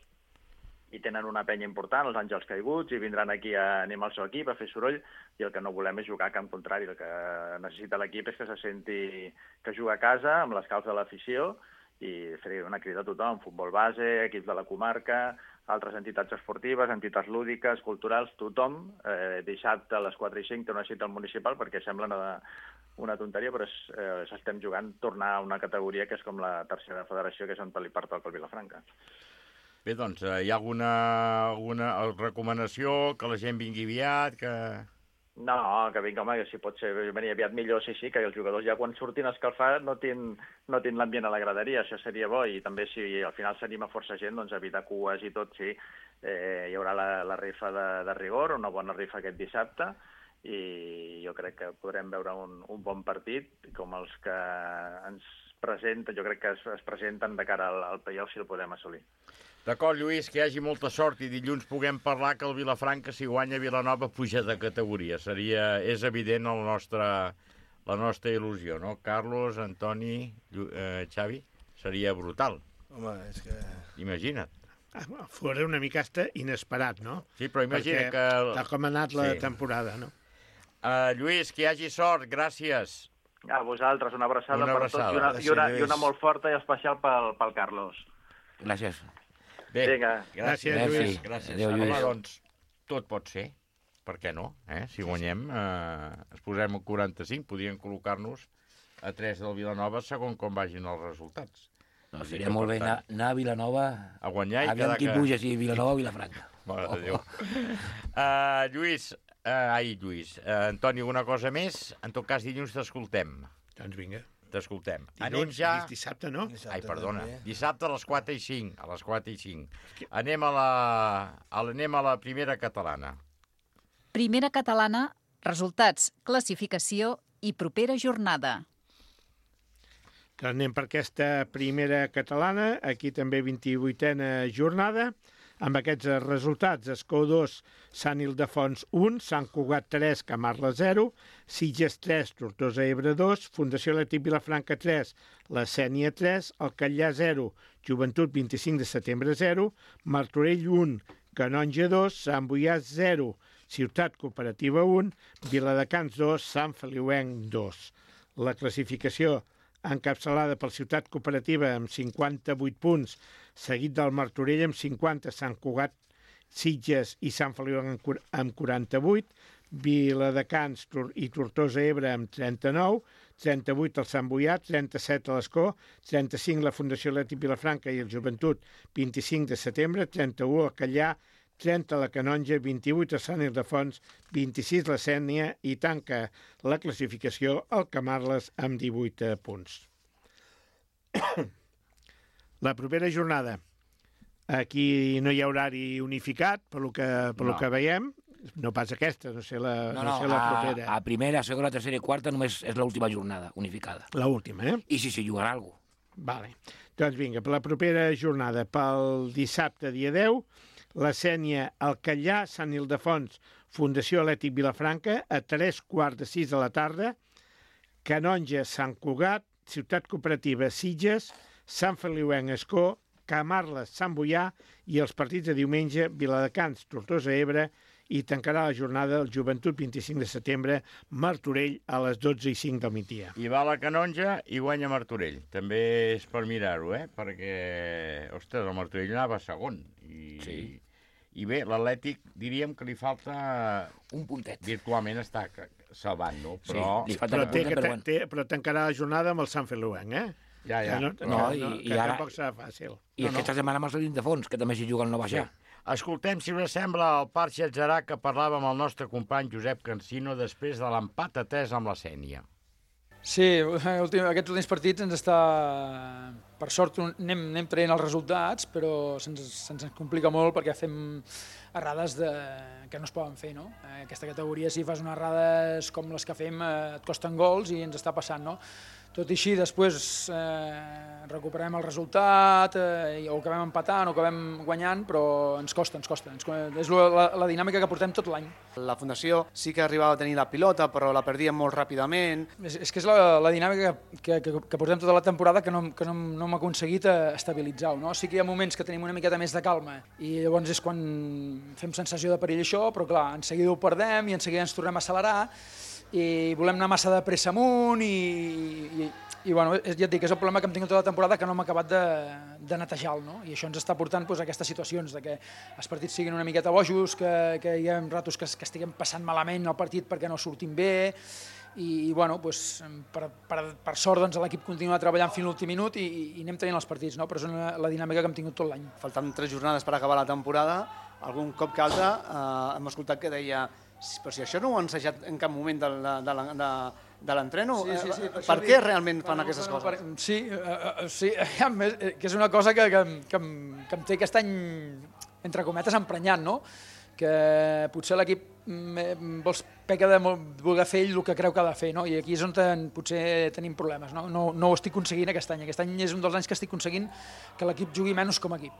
i tenen una penya important, els Àngels Caiguts, i vindran aquí a animar el seu equip, a fer soroll, i el que no volem és jugar a camp contrari. El que necessita l'equip és que se senti que juga a casa, amb l'escalf de l'afició, i fer una crida a tothom, futbol base, equips de la comarca, altres entitats esportives, entitats lúdiques, culturals, tothom, dissabte a les 4 i 5 té una cita al municipal, perquè sembla una tonteria, però s'estem jugant tornar a una categoria que és com la tercera federació, que és on li pertoca el Vilafranca. Bé, doncs, hi ha alguna recomanació, que la gent vingui aviat, que... No, que vinga, home, que si pot ser venir aviat millor, sí, que els jugadors ja quan surtin a escalfar no tenen l'ambient a la graderia, això seria bo, i també si al final s'anima força gent, doncs evitar cues i tot, sí, hi haurà la rifa de rigor, una bona rifa aquest dissabte, i jo crec que podrem veure un bon partit, com els que ens presenten, jo crec que es presenten de cara al play-off si el podem assolir. D'acord, Lluís, que hi hagi molta sort i dilluns puguem parlar que el Vilafranca, si guanya Vilanova, puja de categoria. És evident la nostra il·lusió, no? Carlos, Antoni, Xavi, seria brutal. Home, és que... Imagina't. Fora una mica inesperat, no? Sí, però imagina que... Tal com ha anat la temporada, no? Lluís, que hi hagi sort, gràcies. A vosaltres, una abraçada per tots i una molt forta i especial pel Carlos. Gràcies. Bé, gràcies, Lluís. Gràcies. Home, doncs, tot pot ser. Per què no? Si guanyem, es posem a 45, podríem col·locar-nos a 3 del Vilanova segons com vagin els resultats. No, seria molt bé anar a Vilanova a guanyar i aviam qui puja, si Vilanova o Vilafranca. Mare de Déu. Lluís, Antoni, alguna cosa més? En tot cas, dilluns t'escoltem. Doncs vinga. T'escoltem. Anem ja... Dissabte, no? Ai, perdona. Dissabte a les 4 i 5. A les 4 i 5. Anem a la primera catalana. Primera catalana, resultats, classificació i propera jornada. Anem per aquesta primera catalana, aquí també 28a jornada. Amb aquests resultats, Escó 2, Sant Ildefons 1, Sant Cugat 3, Camarles 0, Sitges 3, Tortosa Ebre 2, Fundació Atlètic Vilafranca 3, La Sénia 3, Alcallà 0, Joventut 25 de setembre 0, Martorell 1, Canonja 2, Sant Boiàs 0, Ciutat Cooperativa 1, Viladecans 2, Sant Feliuenc 2. La classificació encapçalada per Ciutat Cooperativa amb 58 punts, seguit del Martorell amb 50, Sant Cugat, Sitges i Sant Feliu amb 48, Viladecans i Tortosa Ebre amb 39, 38 el Sant Boià, 37 a l'Escó, 35 la Fundació Atlètic Vilafranca i el Joventut, 25 de setembre, 31 el Callà, 30 la Canonja, 28 a Sant Ildefons, 26 la Sénia i tanca la classificació el Camarles amb 18 punts. La propera jornada, aquí no hi ha horari unificat, pel que veiem, no pas aquesta, no sé la propera. A primera, segona, tercera i quarta només és l'última jornada unificada. L'última, eh? I si s'hi jugarà alguna cosa. Vale. Doncs vinga, per la propera jornada, pel dissabte, dia 10, la Sénia, el Callà, Sant Ildefons, Fundació Atlètic Vilafranca, a 3:15 de la tarda, Canonja, Sant Cugat, Ciutat Cooperativa, Sitges, Sant Feliuenc, Escó, Camarles, Sant Boià i els partits de diumenge, Viladecans, Tortosa Ebre, i tancarà la jornada el Joventut 25 de setembre, Martorell a les 12:05 del migdia. I va a la Canonja i guanya Martorell. També és per mirar-ho, perquè, ostres, el Martorell anava segon. I bé, l'Atlètic diríem que li falta un puntet. Virtualment està salvant, no? Però, sí, li falta un puntet, però tancarà la jornada amb el Sant Feliuenc, eh? Ja. Que tampoc serà fàcil. I aquesta setmana amb el Sant Ildefons, que també s'hi juga el no baixar. Escoltem, si us sembla, el Parc Xatzarà que parlàvem amb el nostre company Josep Cansino després de l'empat a 3 amb la Sénia. Sí, aquests últims partits ens està... Per sort anem traient els resultats, però se'ns complica molt perquè fem errades que no es poden fer, no? Aquesta categoria, si fas unes errades com les que fem, et costen gols i ens està passant, no? Tot i així, després recuperem el resultat, o acabem empatant o acabem guanyant, però ens costa. És la dinàmica que portem tot l'any. La Fundació sí que arribava a tenir la pilota, però la perdíem molt ràpidament. És que és la dinàmica que portem tota la temporada que no hem aconseguit estabilitzar-ho, no? Sí que hi ha moments que tenim una miqueta més de calma i llavors és quan fem sensació de perill això, però clar, en seguida ho perdem i en seguida ens tornem a accelerar i volem anar massa de pressa amunt i bueno, ja et dic, és el problema que hem tingut tota la temporada que no hem acabat de netejar, no? I això ens està portant a aquestes situacions de que els partits siguin una miqueta bojos, que hi ha ratos que estiguem passant malament el partit perquè no sortim bé i bueno, per sort l'equip continua treballant fins a l'últim minut i anem tenint els partits, no? Però és la dinàmica que hem tingut tot l'any. Faltant 3 jornades per acabar la temporada, algun cop que altre hem escoltat que deia però si això no ho han ensajat en cap moment de l'entreno, per què realment fan aquestes coses? Sí, que és una cosa que em té aquest any, entre cometes, emprenyat, no? Que potser l'equip peca de voler fer ell el que creu que ha de fer, no? I aquí és on potser tenim problemes, no? No ho estic aconseguint aquest any. Aquest any és un dels anys que estic aconseguint que l'equip jugui menys com a equip.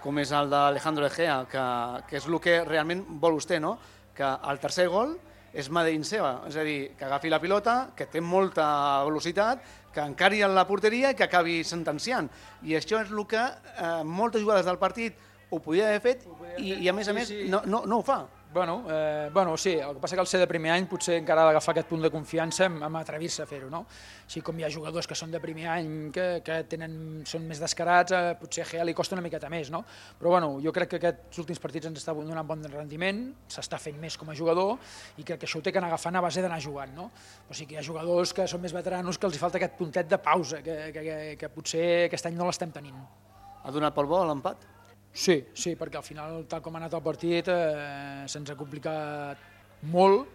Com és el d'Alejandro Egea, que és el que realment vol vostè, no? Que el tercer gol és Madein seva, és a dir, que agafi la pilota, que té molta velocitat, que encari a la porteria i que acabi sentenciant. I això és el que moltes jugades del partit ho podia haver fet i a més no ho fa. Bueno, sí, el que passa que al ser de primer any potser encara ha d'agafar aquest punt de confiança amb atrevir-se a fer-ho, no? Així com hi ha jugadors que són de primer any que són més descarats, potser a Gea li costa una miqueta més, no? Però bueno, jo crec que aquests últims partits ens està donant bon rendiment, s'està fent més com a jugador i crec que això ho té que anar agafant a base d'anar jugant, no? O sigui que hi ha jugadors que són més veteranos que els falta aquest puntet de pausa, que potser aquest any no l'estem tenint. Ha donat pel bo l'empat? Sí, perquè al final, tal com ha anat el partit, se'ns ha complicat molt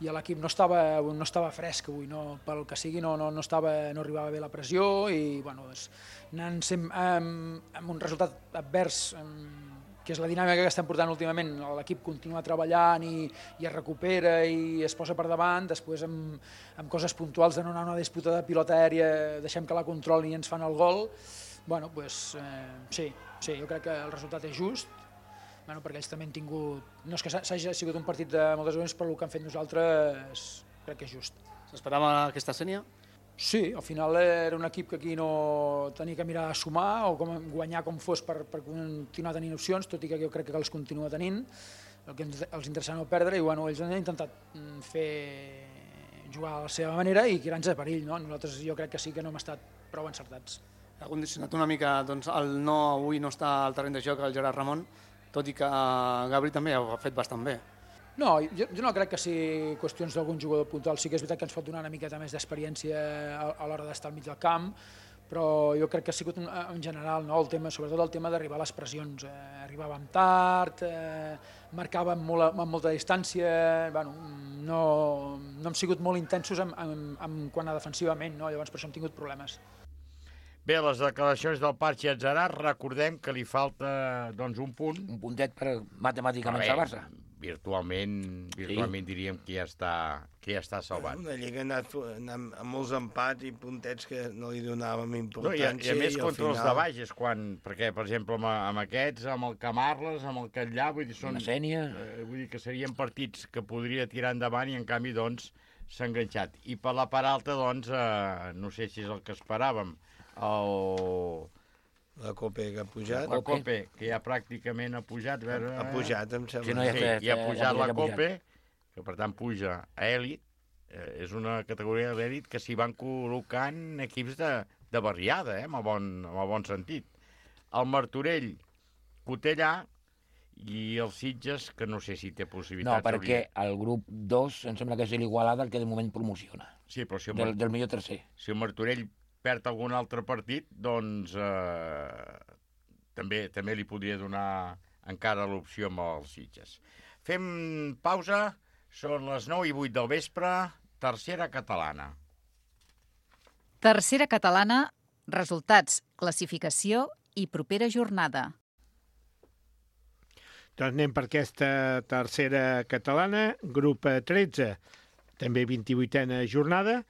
i l'equip no estava fresc avui, pel que sigui no arribava bé la pressió i bueno, anant amb un resultat advers, que és la dinàmica que estem portant últimament, l'equip continua treballant i es recupera i es posa per davant, després amb coses puntuals de no anar a una disputa de pilota aèria, deixem que la controli i ens fan el gol. Bueno, doncs sí, jo crec que el resultat és just, perquè ells també han tingut... No és que s'hagi sigut un partit de moltes ocasions, però el que han fet nosaltres crec que és just. S'esperava aquesta Sénia? Sí, al final era un equip que aquí no tenia que mirar a sumar o guanyar com fos per continuar tenint opcions, tot i que jo crec que els continua tenint, el que els interessa no perdre, i bueno, ells han intentat fer jugar a la seva manera i crear-nos de perill, no? Nosaltres jo crec que sí que no hem estat prou encertats. Ha condicionat una mica el no avui no està al terreny de joc el Gerard Ramon, tot i que Gabri també ho ha fet bastant bé. No, jo no crec que sigui qüestions d'algun jugador puntual. Sí que és veritat que ens pot donar una miqueta més d'experiència a l'hora d'estar al mig del camp, però jo crec que ha sigut en general, no? Sobretot el tema d'arribar a les pressions. Arribàvem tard, marcàvem amb molta distància, bueno, no hem sigut molt intensos quant a defensivament, no? Llavors per això hem tingut problemes. Bé, les declaracions del Patxi Adzarar, recordem que li falta un punt. Un puntet per matemàticament salvar-se. Virtualment diríem que ja està salvat. Una lliga ha anat amb molts empats i puntets que no li donàvem importància. I a més contra els de baix és quan, perquè per exemple amb aquests, amb el Camarles, amb el Catllà, vull dir, vull dir que serien partits que podria tirar endavant i en canvi s'ha enganxat. I per la part alta no sé si és el que esperàvem, la Cope que ha pujat. La Cope, que ja pràcticament ha pujat. Ha pujat, em sembla. Sí, ha pujat la Cope, que per tant puja a Èlit. És una categoria d'Èlit que s'hi van col·locant equips de barriada, amb el bon sentit. El Martorell, Cotellà, i els Sitges, que no sé si té possibilitats. No, perquè el grup 2 em sembla que és l'Igualada el que de moment promociona. Sí, però si del millor tercer. Si el Martorell perd algun altre partit, doncs també li podria donar encara l'opció amb els Sitges. Fem pausa, són les 9:08 del vespre, tercera catalana. Tercera catalana, resultats, classificació i propera jornada. Doncs anem per aquesta tercera catalana, grup 13, també 28a jornada.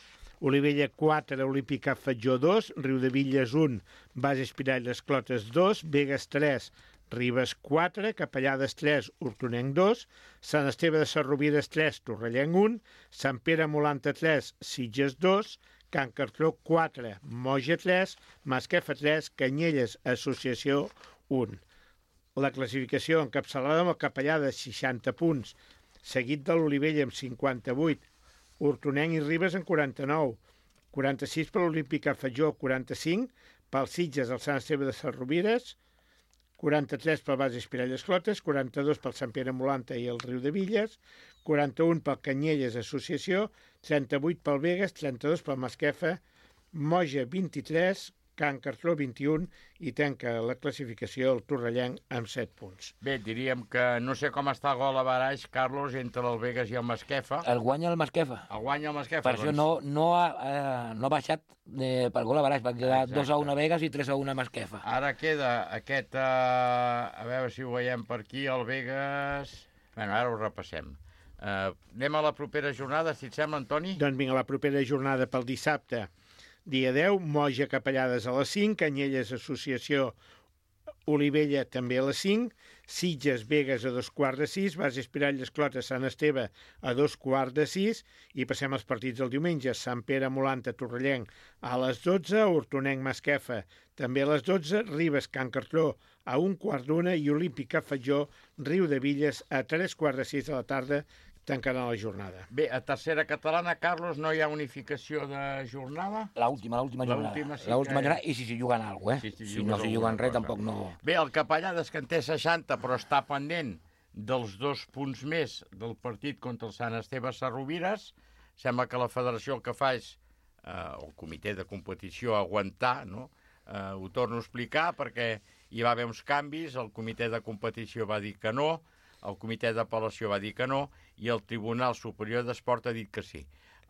Olivella 4, Olímpica Fatjó 2, Riudevilles 1, Base Espirall Les Clotes 2, Begues 3, Ribes 4, Capellades 3, Hortonenc 2, Sant Esteve de Sarrovires 3, Torrellenc 1, Sant Pere Molanta 3, Sitges 2, Can Cartró 4, Moja 3, Masquefa 3, Canyelles Associació 1. La classificació encapçalada amb el Capellà de 60 punts, seguit de l'Olivella amb 58, Hortonenc i Ribes en 49, 46 per l'Olímpica Fatjó, 45, pel Sitges el Sant Esteve de Sarrovires, 43 pel Base Espirall Les Clotes, 42 pel Sant Pere Molanta i el Riudevilles, 41 pel Canyelles Associació, 38 pel Begues, 32 pel Masquefa, Moja 23, Can Cartró 21 i tanca la classificació el Torrellenc amb 7 punts. Bé, diríem que no sé com està el gol a baraix, Carlos, entre el Begues i el Masquefa. El guanya el Masquefa. El guanya el Masquefa. Per això no ha baixat pel gol a baraix, va quedar 2-1 a Begues i 3-1 a Masquefa. Ara queda aquest, a veure si ho veiem per aquí, el Begues... Bé, ara ho repassem. Anem a la propera jornada, si et sembla, Antoni? Doncs vinga, la propera jornada pel dissabte. Dia 10, Moja Capellades a les 5, Canyelles Associació Olivella també a les 5, Sitges Begues a 2:15, Base Espirall Les Clotes Sant Esteve a 2:15 i passem als partits del diumenge. Sant Pere Molanta Torrellenc a les 12, Hortonenc Masquefa també a les 12, Ribes Can Cartró a 1:15 i Olímpica Fatjó Riudevilles a 3:15 de la tarda tancaran la jornada. Bé, a tercera catalana, Carlos, no hi ha unificació de jornada? L'última jornada. L'última jornada, i si juguen alguna cosa, Si no s'hi juguen res, tampoc no... Bé, el Capellades, que en té 60, però està pendent dels 2 punts més del partit contra el Sant Esteve Sarrovires. Sembla que la federació el que fa és, el comitè de competició, aguantar, no? Ho torno a explicar, perquè hi va haver uns canvis, el comitè de competició va dir que no, el comitè d'apel·lació va dir que no i el Tribunal Superior d'Esport ha dit que sí.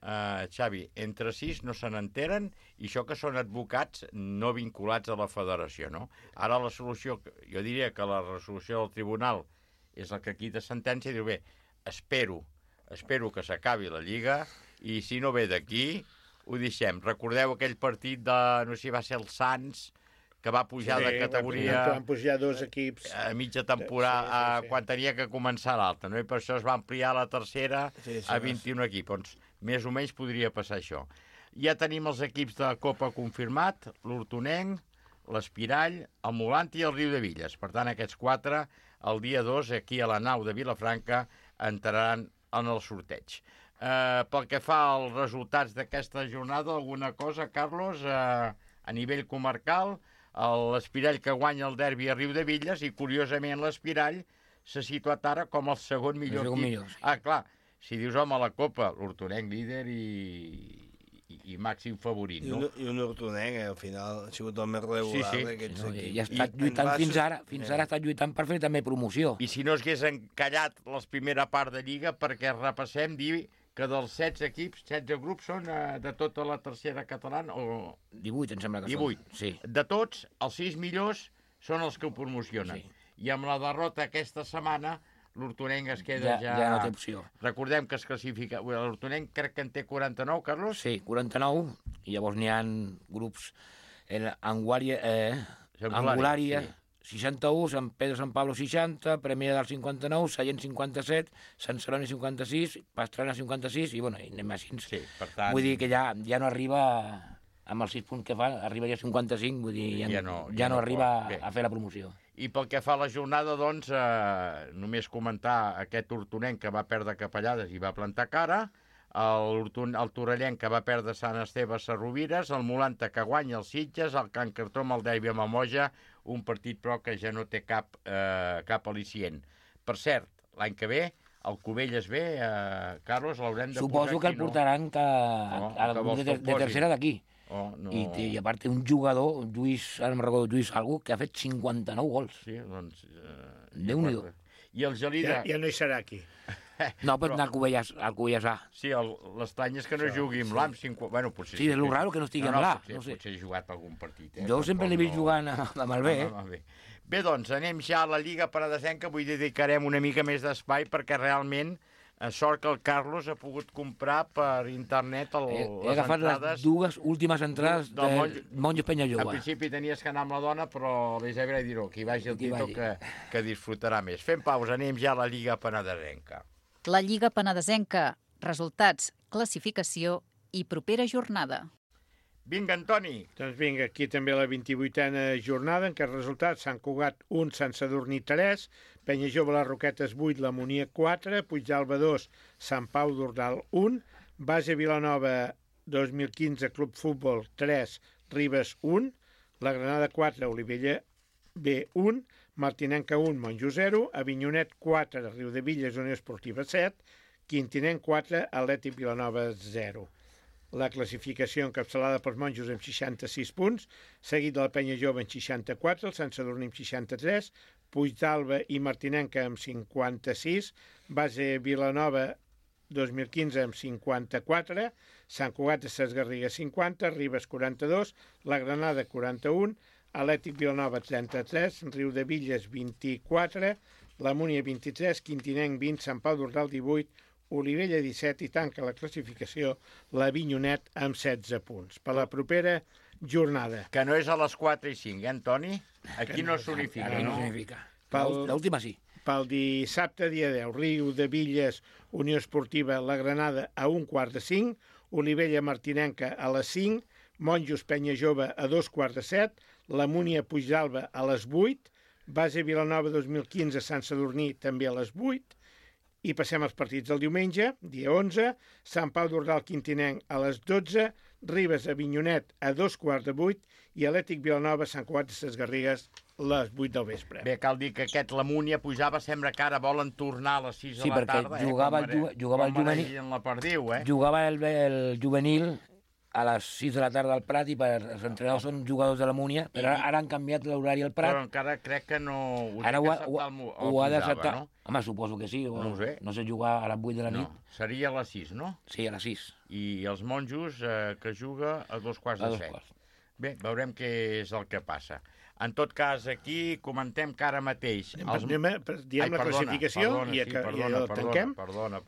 Xavi, entre 6 no se n'enteren i això que són advocats no vinculats a la federació, no? Ara la solució, jo diria que la resolució del tribunal és la que quita sentència i diu, bé, espero que s'acabi la Lliga i si no ve d'aquí ho deixem. Recordeu aquell partit de, no sé si va ser el Sants, que va pujar de categoria... Van pujar 2 equips... A mitja temporada, quan tenia que començar l'alta, no? I per això es va ampliar la tercera a 21 equips. Doncs més o menys podria passar això. Ja tenim els equips de Copa confirmat, l'Hortonenc, l'Espirall, el Molant i el Riudevilles. Per tant, aquests 4, el dia 2, aquí a la nau de Vilafranca, entraran en el sorteig. pel que fa als resultats d'aquesta jornada, alguna cosa, Carlos, a nivell comarcal, l'Espirall que guanya el derbi a Riudebitlles i, curiosament, l'Espirall s'ha situat ara com el segon millor equip. Sí. Ah, clar, si dius, home, la Copa, l'Hortonenc líder i màxim favorit, no? I un Hortonenc, al final, ha sigut el més regular d'aquests equips. I ha estat lluitant fins ara ha estat lluitant per fer també promoció. I si no s'hagués encallat la primera part de Lliga, perquè repassem, dir que dels 16 equips, 16 grups són de tota la tercera catalana, o... 18, em sembla que 18. són. Sí. De tots, els 6 millors són els que ho promocionen. Sí. I amb la derrota aquesta setmana, l'Hortonenc es queda ja... Ja no té opció. Recordem que es classifica... L'Hortonenc crec que en té 49, Carlos? Sí, 49, i llavors n'hi ha grups... Angulària, sí. 61, Sant Pedro Sant Pablo 60, Premià del 59, Sallent 57, Sant Celoni 56, Pastrana 56, i bueno, i anem així. Sí, per tant... Vull dir que ja no arriba, amb els 6 punts que fa, arriba ja a 55, vull dir, ja no arriba a fer la promoció. I pel que fa a la jornada, doncs, només comentar aquest Hortonenc que va perdre Capellades i va plantar cara, el Torellenc que va perdre Sant Esteve a Sarrovires, el Molanta que guanya els Sitges, el Can Cartó amb el derbi a Mamoja, un partit però que ja no té cap al·licient. Per cert, l'any que ve, el Cubelles ve, Carlos, l'haurem de Suposo que el portaran al grup de tercera d'aquí. I a part un jugador, Lluís algú, que ha fet 59 gols. Sí, doncs... Déu-n'hi-do. I el Gelida... Ja no hi serà aquí. No, pot anar al Cubelles A. Sí, l'estrany és que no jugui amb l'AM. Bueno, potser... Sí, és el raro que no estigui amb l'A. Potser ha jugat algun partit. Jo sempre l'he vist jugant amb el B. Bé, doncs, anem ja a la Lliga Penedesenca. Avui dedicarem una mica més d'espai perquè realment sort que el Carlos ha pogut comprar per internet les entrades... He agafat les dues últimes entrades de Monjos Penyajove. Al principi tenies que anar amb la dona, però l'Isabel dirà que hi vagi el Tito que disfrutarà més. Fem pausa, anem ja a la Lliga Penedesenca. La Lliga Penedesenca. Resultats, classificació i propera jornada. Vinga, Antoni. Doncs vinga, aquí també la 28a jornada, en què els resultats: Sant Cugat 1, Sant Sadurní 3, Penyajove les Roquetes 8, la Monia 4, Puigdàlber 2, Sant Pau d'Ordal 1, Base Vilanova 2015, Club Futbol 3, Ribes 1, la Granada 4, Olivella B 1, Martinenca 1, Monjo 0, Avinyonet 4, Riudebitlles Unió Esportiva 7, Quintinenc 4, Atlètic Vilanova 0. La classificació encapçalada pels monjos amb 66 punts, seguit de la Penya Jove amb 64, el Sant Sadurní amb 63, Puigdàlber i Martinenca amb 56, Base Vilanova 2015 amb 54, Sant Cugat de Ses Garrigues 50, Ribes 42, la Granada 41, Atlètic Vilanova 33, Riudebitlles 24, la Múnia 23, Quintinenc 20, Sant Pau d'Ordal 18, Olivella 17 i tanca la classificació la Avinyonet amb 16 punts. Per la propera jornada. Que no és a les 4 i 5, Antoni? Aquí no s'unifica. No s'unifica. L'última sí. Pel dissabte, dia 10, Riudebitlles Unió Esportiva La Granada a 1:45, Olivella Martinenca a les 5, Monjos Penya Jove a 2:15, la Múnia Puigdàlber a les 8, Base Vilanova 2015 Sant Sadurní també a les 8, i passem als partits del diumenge, dia 11, Sant Pau d'Ordal Quintinenc a les 12, Ribes Avinyonet a 2:15 i Atlètic Vilanova Sant Cugat de Ses Garrigues a les 8 del vespre. Bé, cal dir que aquest la Múnia pujava, sembla que ara volen tornar a les 6 de la tarda. Sí, perquè jugava el juvenil. La perdiu, Jugava el juvenil a les 6 de la tarda al Prat i els entrenadors són jugadors de la Múnia, però ara han canviat l'horari al Prat. Però encara crec que no... Ara ho ha d'acceptar. No? Home, suposo que sí. No ho sé. No sé jugar a les 8 de la nit. No, seria a les 6, no? Sí, a les 6. I els monjos que juga a 2:15. Bé, veurem què és el que passa. En tot cas, aquí comentem que ara mateix... Diem la classificació i tanquem. Perdona.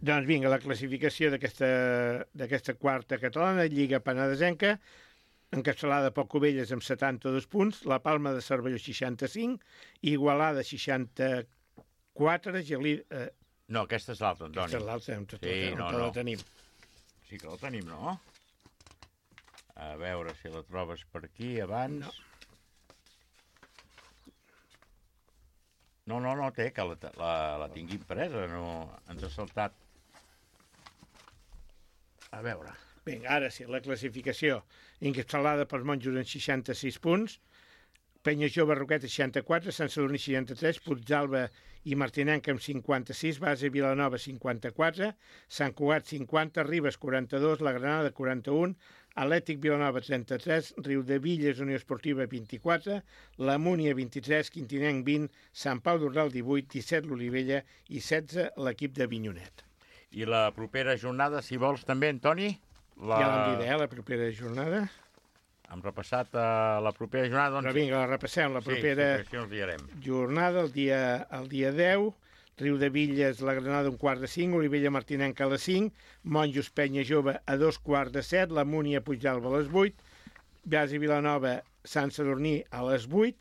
Doncs vinga, la classificació d'aquesta quarta catalana, Lliga Penedesenca, encapçalada pel Cubelles amb 72 punts, la Palma de Cervelló 65, Igualada 64, Gelida... No, aquesta és l'altra, Antoni. Aquesta és l'altra, on la tenim. Sí que la tenim, no? A veure si la trobes per aquí abans... No, té, que la tingui impresa, no ens ha saltat. A veure. Vinga, ara sí, la classificació. Encapçalada pels monjos amb 66 punts, Penya Jove Roqueta 64, Sant Sadurní 63, Puigdàlber i Martinenc amb 56, Base Vilanova 54, Sant Cugat 50, Ribes 42, La Granada 41, Atlètic Vilanova 33, Riudevilles Unió Esportiva 24, La Múnia 23, Quintinenc 20, Sant Pau d'Ordal 18, 17 l'Olivella i 16 l'equip de Vinyonet. I la propera jornada, si vols també, Antoni? Ja l'hem dit, la propera jornada. Hem repassat la propera jornada. Doncs... Però vinga, la repassem. La propera jornada, el dia 10, Riudevilles, La Granada, 1:45, Olivella Martinenca a les 5, Monjos Penya Jove a 2:15, La Múnia Puigdàlber a les 8, Base Vilanova, Sant Sadurní a les 8,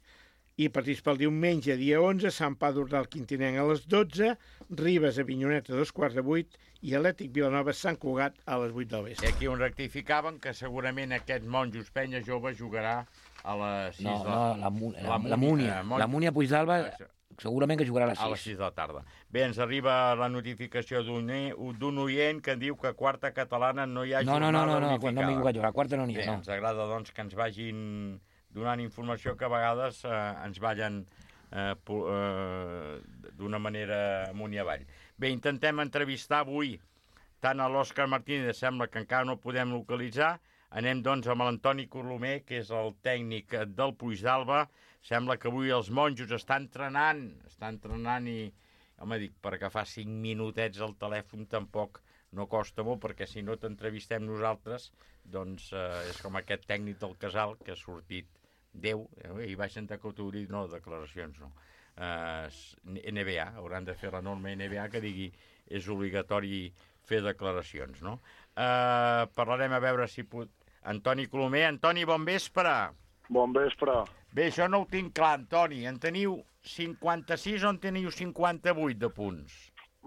i partits pel diumenge, dia 11, Sant Pau d'Ordal Quintinenc a les 12, Ribes a Vinyonet a 2:15 i Atlètic Vilanova Sant Cugat a les 8 del vespre. I aquí on rectificaven que segurament aquest Monjos Penya Jove jugarà a les 6 de la Múnia. La Múnia Puigdàlber segurament que jugarà a les 6. A les 6 de la tarda. Bé, ens arriba la notificació d'un oient que diu que a quarta catalana no hi ha jornada unificada. No m'hi jugat jo, a quarta no n'hi ha. Ens agrada doncs que ens vagin donant informació que a vegades ens ballen d'una manera amunt i avall. Bé, intentem entrevistar avui tant a l'Òscar Martínez, sembla que encara no podem localitzar. Anem doncs amb l'Antoni Colomer, que és el tècnic del Puigdàlber. Sembla que avui els monjos estan entrenant i, home, dic, per agafar 5 minutets al telèfon tampoc no costa molt, perquè si no t'entrevistem nosaltres, doncs és com aquest tècnic del Casal que ha sortit 10, i vaig sentar que t'ho dit, no, declaracions no. NBA, hauran de fer la norma NBA que digui és obligatori fer declaracions, no? Parlarem a veure si pot... Antoni Colomer. Antoni, bon vespre. Bon vespre. Bé, això no ho tinc clar, Antoni. En teniu 56 o en teniu 58 de punts?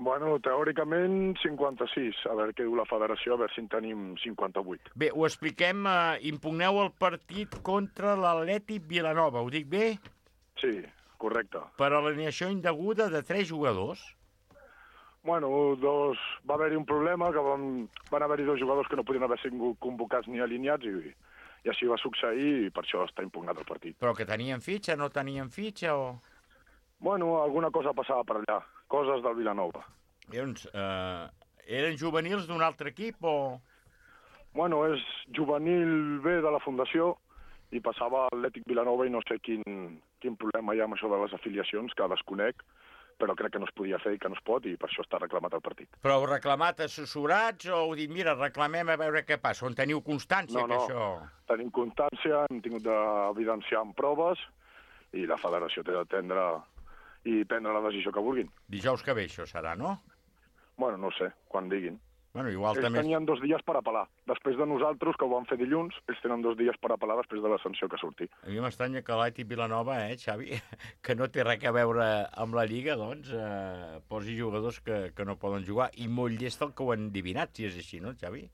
Bueno, teòricament 56. A veure què diu la federació, a veure si en tenim 58. Bé, ho expliquem. Impugneu el partit contra l'Atlètic Vilanova. Ho dic bé? Sí, correcte. Per alineació indeguda de 3 jugadors? Bueno, va haver-hi un problema, que van haver-hi 2 jugadors que no podien haver sigut convocats ni alineats i així va succeir i per això està impugnat el partit. Però que tenien fitxa, no tenien fitxa o...? Bueno, alguna cosa passava per allà, coses del Vilanova. Doncs, eren juvenils d'un altre equip o...? Bueno, és juvenil B de la Fundació i passava a Atlètic Vilanova i no sé quin problema hi ha amb això de les afiliacions, que desconec, però crec que no es podia fer i que no es pot i per això està reclamat el partit. Però heu reclamat assessorats o heu dit, mira, reclamem a veure què passa? On teniu constància que això... No, tenim constància, hem tingut d'evidenciar amb proves i la federació té d'atendre i prendre la decisió que vulguin. Dijous que ve això serà, no? Bueno, no sé, quan diguin. Bueno, igual ells també... tenien 2 dies per apel·lar. Després de nosaltres, que ho van fer dilluns, ells tenen 2 dies per apel·lar després de la sanció que surti. A mi m'estranya que l'Atlètic Vilanova, Xavi, que no té res a veure amb la Lliga, doncs, posi jugadors que no poden jugar. I molt llest el que ho han endivinat, si és així, no, Xavi?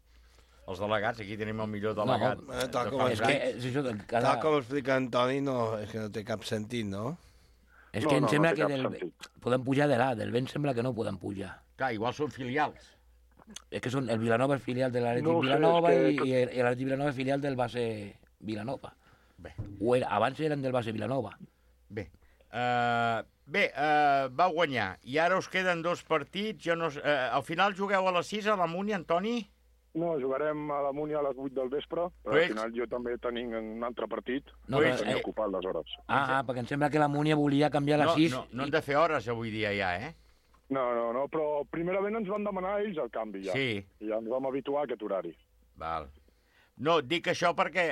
Els delegats, aquí tenim el millor delegat. Tal com explica Antoni, és que no té cap sentit, no? És que em sembla que podem pujar de del vent sembla que no poden pujar. Clar, igual són filials. És que el Vilanova és filial de l'Atlètic Vilanova i l'Atlètic Vilanova és filial del Base Vilanova. Bé. Abans eren del Base Vilanova. Bé. Va guanyar. I ara us queden 2 partits. Al final jugueu a les 6 a la Múnia, Antoni? No, jugarem a la Múnia a les 8 del vespre, però al final jo també tenim un altre partit i tenia ocupat les hores. Perquè em sembla que la Múnia volia canviar a les 6. No han de fer hores avui dia ja, No, però primerament ens van demanar ells el canvi ja. Sí. I ja ens vam habituar a aquest horari. Val. No, dic això perquè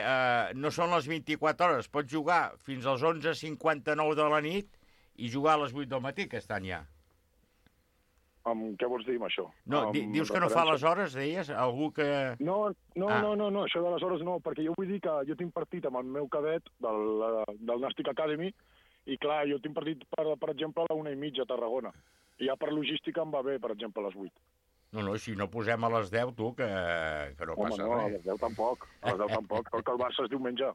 no són les 24 hores. Pots jugar fins als 11:59 de la nit i jugar a les 8 del matí aquest any ja. Què vols dir amb això? No, dius que no fa les hores, deies? Algú que... No, això de les hores no, perquè jo vull dir que jo tinc partit amb el meu cadet del Nàstic Academy i clar, jo tinc partit, per exemple, a la 1:30 a Tarragona. I ja per logística em va bé, per exemple, a les 8. No, si no posem a les 10, tu, que no passa res. A les 10 tampoc, perquè el Barça és diumenge.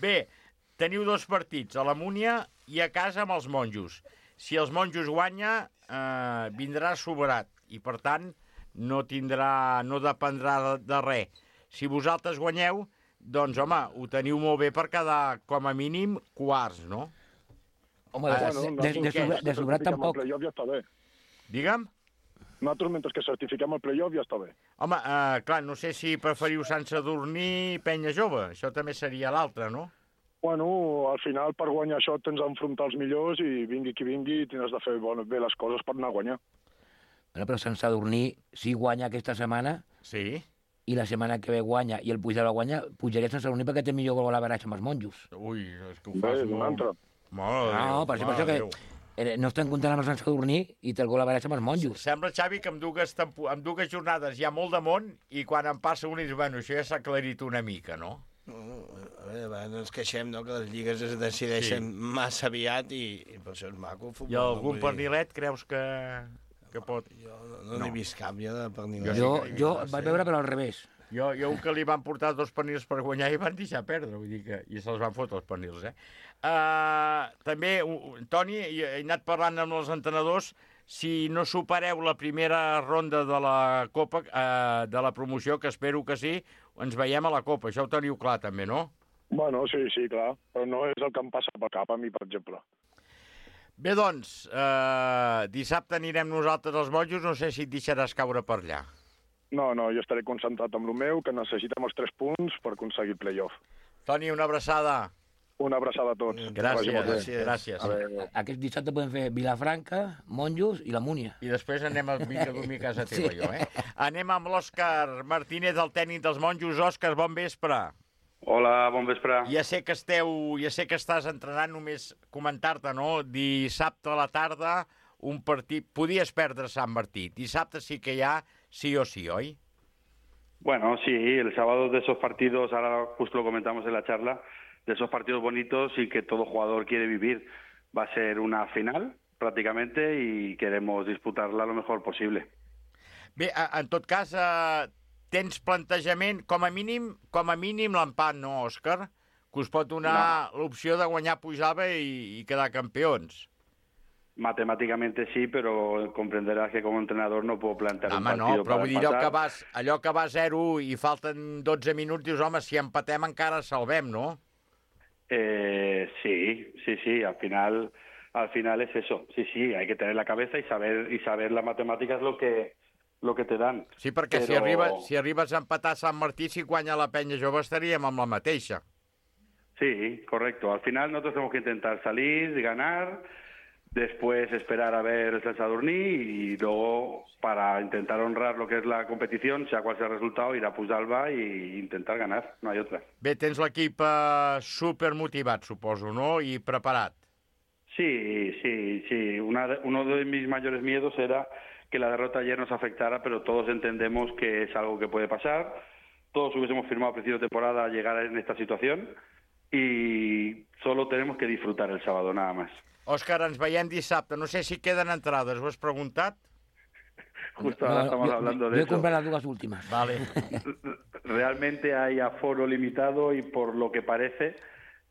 Bé, teniu 2 partits, a la Múnia i a casa amb els monjos. Si els monjos guanya, vindrà soberat, i per tant no dependrà de res. Si vosaltres guanyeu, doncs, home, ho teniu molt bé per quedar, com a mínim, quarts, no? Home, de sobrat tampoc. El playoff ja està bé. Digue'm? Nosaltres, mentre que certifiquem el playoff, ja està bé. Home, clar, no sé si preferiu Sant Sadurní i Penya Jove. Això també seria l'altre, no? Bueno, al final, per guanyar això, tens d'enfrontar els millors i vingui qui vingui, tens de fer bé les coses per anar a guanyar. Bueno, però Sant Sadurní, si guanya aquesta setmana, sí, i la setmana que ve guanya i el Puigdemont guanya, pujaria a Sant Sadurní perquè té millor gol a l'averatge amb els monjos. Ui, és que ho fas molt... No, per això que no estem comptant amb el Sant Sadurní i té el gol a l'averatge amb els monjos. Sembla, Xavi, que amb dues jornades hi ha molt de món i quan en passa un i dius, bueno, això ja s'ha aclarit una mica, no? A veure, no ens queixem, no?, que les lligues es decideixen massa aviat i per això és maco el futbol. I algun pernilet creus que pot? Jo no n'he vist cap, jo de pernilet. Jo vaig veure però al revés. Jo un que li van portar 2 pernils per guanyar i van deixar perdre, vull dir que... I se'ls van fotre els pernils, També, Toni, he anat parlant amb els entrenadors, si no supereu la primera ronda de la Copa, de la promoció, que espero que sí, ens veiem a la Copa. Això ho teniu clar, també, no? Bueno, sí, clar. Però no és el que em passa pel cap, a mi, per exemple. Bé, doncs, dissabte anirem nosaltres als Monjos, no sé si et deixaràs caure per allà. No, jo estaré concentrat amb el meu, que necessitem els 3 punts per aconseguir el playoff. Toni, una abraçada. Una abraçada a tots. Gràcies. Aquest dissabte podem fer Vilafranca, Monjos i la Múnia. I després anem a dormir a casa teva, jo, Anem amb l'Òscar Martínez, el tècnic dels Monjos. Òscar, bon vespre. Hola, bon vespre. Ja sé que estàs entrenant, només comentar-te, no? Dissabte a la tarda, un partit... Podies perdre Sant Martí. Dissabte sí que hi ha sí o sí, oi? Bueno, sí, el sábado de esos partidos, ahora justo lo comentamos en la charla, de esos partidos bonitos y que todo jugador quiere vivir. Va a ser una final, prácticamente, y queremos disputarla lo mejor posible. Bé, en tot cas, tens plantejament, com a mínim l'empat, no, Òscar? Que us pot donar l'opció de guanyar Puigdàlber i quedar campions. Matemáticamente sí, pero comprenderás que como entrenador no puedo plantear un partido no, però para vull dir, empatar. allò que va 0 i falten 12 minuts, dius, home, si empatem encara salvem, no? Sí, al final es eso. Sí, hay que tener la cabeza y saber las matemáticas lo que te dan. Sí, perquè si arribes a empatar a Sant Martí, si guanya la Penya Jove estaríem amb la mateixa. Sí, correcto. Al final nosotros tenemos que intentar salir, ganar, después esperar a ver el Sant Sadurní y luego, para intentar honrar lo que es la competición, sea cual sea el resultado, ir a Puigdàlber e intentar ganar, no hay otra. Bé, tens l'equip supermotivat, suposo, no? I preparat. Sí. Uno de mis mayores miedos era que la derrota ayer nos afectara, pero todos entendemos que es algo que puede pasar. Todos hubiésemos firmado a principio de temporada llegar en esta situación y solo tenemos que disfrutar el sábado, nada más. Òscar, ens veiem dissabte. No sé si queden entrades. ¿Ho has preguntat? Justo ahora estamos hablando de eso. Yo he comprado las 2 últimas. Vale. Realmente hay aforo limitado y por lo que parece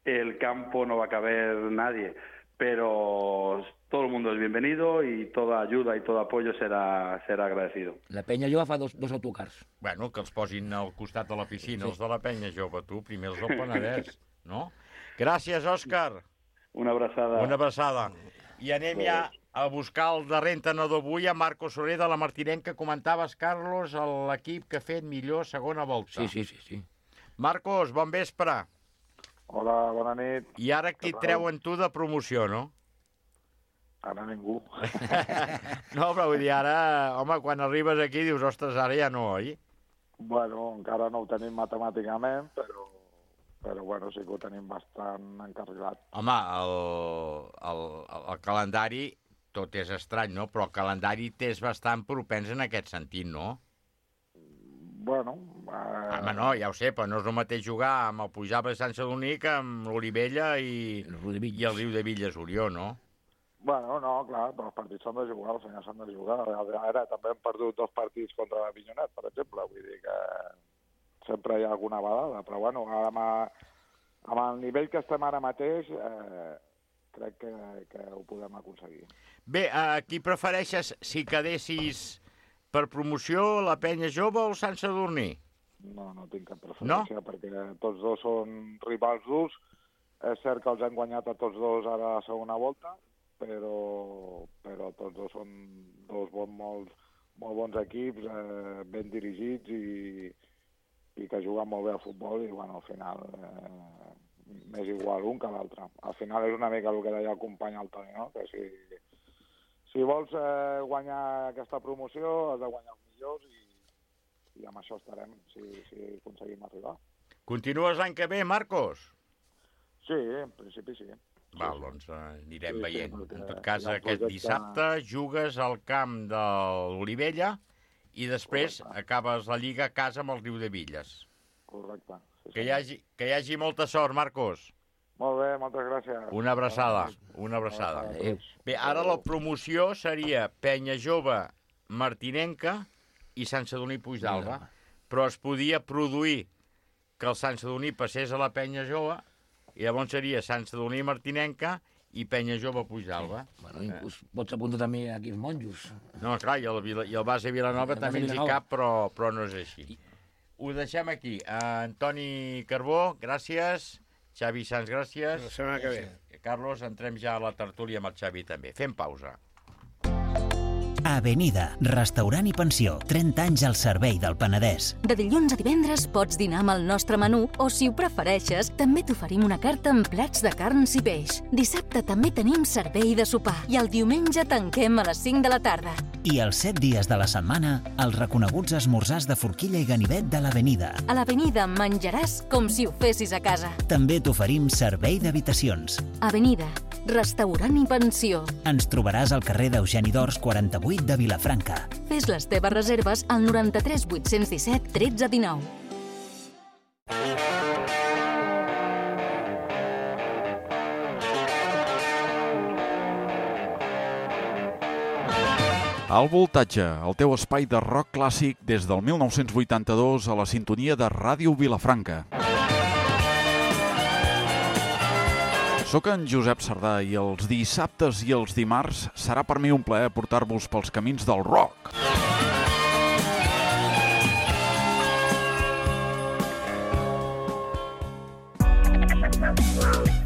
el campo no va a caber nadie. Pero todo el mundo es bienvenido y toda ayuda y todo apoyo será agradecido. La Penya Jove fa dos autocars. Bueno, que els posin al costat de la piscina, els de la Penya Jove, tu, primer els del Penedès, no? Gràcies, Òscar. Una abraçada. Una abraçada. I anem ja a buscar el darrer entrenador avui, a Marcos Soler de la Martinenca. Comentaves, Carlos, l'equip que ha fet millor segona volta. Sí. Marcos, bon vespre. Hola, bona nit. I ara qui et treuen tu de promoció, no? Ara ningú. No, però vull dir, ara, home, quan arribes aquí dius, ostres, ara ja no, oi? Bueno, encara no ho tenim matemàticament, però bueno, sí que ho tenim bastant encarregat. Home, el calendari, tot és estrany, no? Però el calendari t'és bastant propens en aquest sentit, no? Bueno... Home, no, ja ho sé, però no és el mateix jugar amb el Puigdàlber de Sant Sadurní que amb l'Olivella i el Riu de Villas-Orió, no? Bueno, no, clar, però els partits s'han de jugar, els senyors s'han de jugar. Ara també hem perdut 2 partits contra l'Avinyonet, per exemple, vull dir que sempre hi ha alguna badada, però bueno, amb el nivell que estem ara mateix, crec que ho podem aconseguir. Bé, qui prefereixes si quedessis Per promoció, la Penya Jove o el Sant Sadurní? No tinc cap preferència, perquè tots dos són rivals durs. És cert que els hem guanyat a tots dos ara a la segona volta, però tots dos són dos molt bons equips, ben dirigits i que juguen molt bé al futbol i, bueno, al final m'és igual un que l'altre. Al final és una mica el que deia el company el Toni, no? Que si vols guanyar aquesta promoció has de guanyar els millors i amb això estarem, si aconseguim arribar. Continues l'any que ve, Marcos? Sí, en principi sí. Val, doncs anirem veient. En tot cas, aquest dissabte jugues al camp de l'Olivella i després acabes la Lliga a casa amb el Riudevilles. Correcte. Que hi hagi molta sort, Marcos. Molt bé, moltes gràcies. Una abraçada. Bé, ara la promoció seria Penya Jove Martinenca i Sant Sadurní Puigdàlber, però es podia produir que el Sant Sadurní passés a la Penya Jove i llavors seria Sant Sadurní Martinenca i Penya Jove Puigdàlber. Bueno, inclús pots apuntar també aquí els monjos. No, clar, i el base Vilanova també ens hi cap, però no és així. Ho deixem aquí. Antoni Carbó, gràcies. Xavi Sans, gràcies. La setmana que ve. Carlos, entrem ja a la tertúlia amb el Xavi també. Fem pausa. Avenida, restaurant i pensió, 30 anys al servei del Penedès. De dilluns a divendres pots dinar amb el nostre menú o, si ho prefereixes, també t'oferim una carta amb plats de carns i peix. Dissabte també tenim servei de sopar i el diumenge tanquem a les 5 de la tarda. I els 7 dies de la setmana, els reconeguts esmorzars de forquilla i ganivet de l'Avenida. A l'Avenida menjaràs com si ho fessis a casa. També t'oferim servei d'habitacions. Avenida, restaurant i pensió. Ens trobaràs al carrer d'Eugeni d'Ors 48 de Vilafranca. Fes les teves reserves al 93 817 13 19. Al Voltatge, el teu espai de rock clàssic des del 1982 a la sintonia de Ràdio Vilafranca. Soc en Josep Sardà i els dissabtes i els dimarts serà per mi un plaer portar-vos pels camins del rock.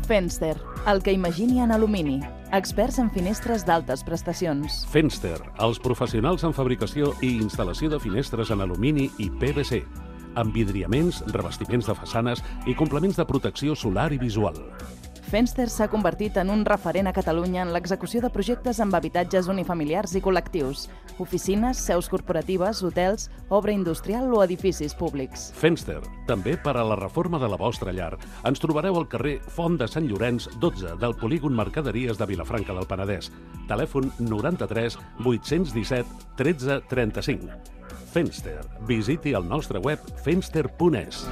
Fenster, el que imagini en alumini. Experts en finestres d'altes prestacions. Fenster, els professionals en fabricació i instal·lació de finestres en alumini i PVC. Envidriaments, revestiments de façanes i complements de protecció solar i visual. Fenster s'ha convertit en un referent a Catalunya en l'execució de projectes amb habitatges unifamiliars i col·lectius, oficines, seus corporatives, hotels, obra industrial o edificis públics. Fenster, també per a la reforma de la vostra llar. Ens trobareu al carrer Font de Sant Llorenç, 12, del polígon Mercaderies de Vilafranca del Penedès. Telèfon 93 817 13 35. Fenster. Visiti el nostre web fenster.es.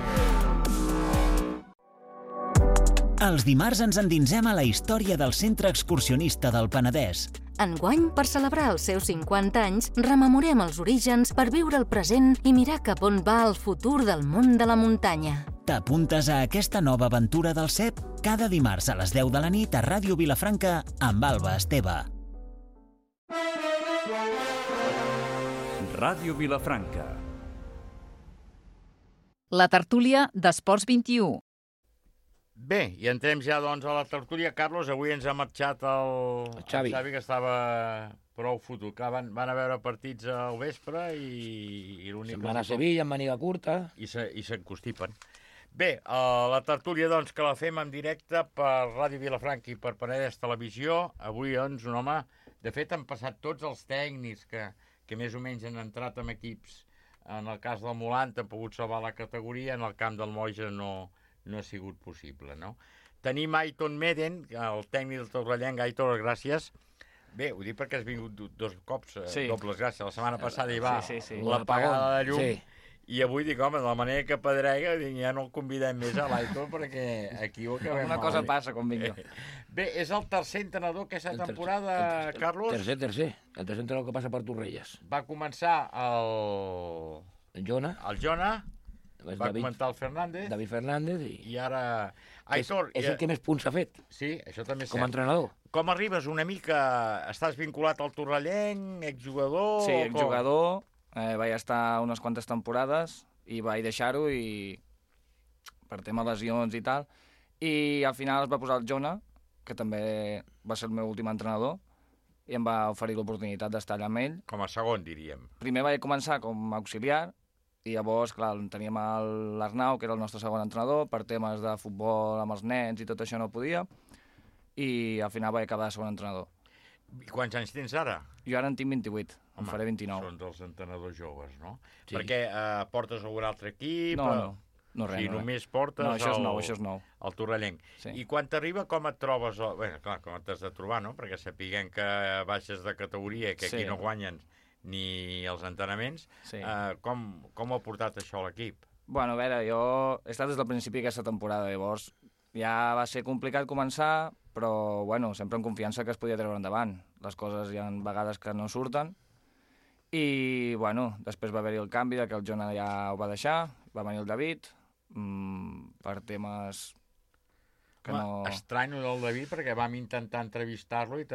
Els dimarts ens endinsem a la història del Centre Excursionista del Penedès. Enguany, per celebrar els seus 50 anys, rememorem els orígens per viure el present i mirar cap on va el futur del món de la muntanya. T'apuntes a aquesta nova aventura del CEP cada dimarts a les 10 de la nit a Ràdio Vilafranca amb Alba Esteve. Ràdio Vilafranca. La tertúlia d'Esports 21. Bé, i entrem ja doncs a la tertúlia. Carlos, avui ens ha marxat el Xavi, que estava prou fotut. Van a veure partits al vespre i l'únic... Se'n van a Sevilla, amb màniga curta. I s'encostipen. Bé, la tertúlia doncs que la fem en directe per Ràdio Vilafranca i per Penedès Televisió. Avui doncs un home... De fet, han passat tots els tècnics que més o menys han entrat en equips. En el cas del Molant han pogut salvar la categoria, en el camp del Moja no ha sigut possible, no? Tenim Aiton Meden, el tècnic del Torrellenc. Aitor, gràcies. Bé, ho dic perquè has vingut dos cops, dobles gràcies. La setmana passada hi va l'apagada de llum. I avui dic, home, de la manera que pedrega, ja no el convidem més a l'Aitor perquè aquí ho acabem. Una cosa passa quan vinc jo. Bé, és el tercer entrenador aquesta temporada, Carlos? Tercer. El tercer entrenador que passa per Torrelles. Va començar el Jona. Va comentar el Fernández. David Fernández. I ara... Aitor, és el que més punts ha fet. Sí, això també és com a entrenador. Com arribes una mica? Estàs vinculat al Torrellenc, exjugador? Sí, exjugador. Vaig estar unes quantes temporades i vaig deixar-ho per tema lesions i tal, i al final es va posar el Jona, que també va ser el meu últim entrenador, i em va oferir l'oportunitat d'estar allà amb ell. Com a segon, diríem. Primer vaig començar com a auxiliar, i llavors, clar, teníem l'Arnau, que era el nostre segon entrenador, per temes de futbol amb els nens i tot això no podia, i al final vaig acabar de segon entrenador. I quants anys tens ara? Jo ara en tinc 28, em faré 29. Són dels entrenadors joves, no? Sí. Perquè portes algun altre equip? No, res. Si només portes no, això és nou. El Torrellenc. Sí. I quan t'arriba, com et trobes? Bé, clar, com t'has de trobar, no? Perquè sapiguem que baixes de categoria, que aquí no guanyen ni els entrenaments. Sí. Com ha portat això a l'equip? Bueno, a veure, jo he estat des del principi d'aquesta temporada, llavors ja va ser complicat començar, però bueno, sempre amb confiança que es podia treure endavant. Les coses hi ha vegades que no surten, i bueno, després va haver-hi el canvi de que el Jona ja ho va deixar, va venir el David, per temes que no... Estranyo del David, perquè vam intentar entrevistar-lo i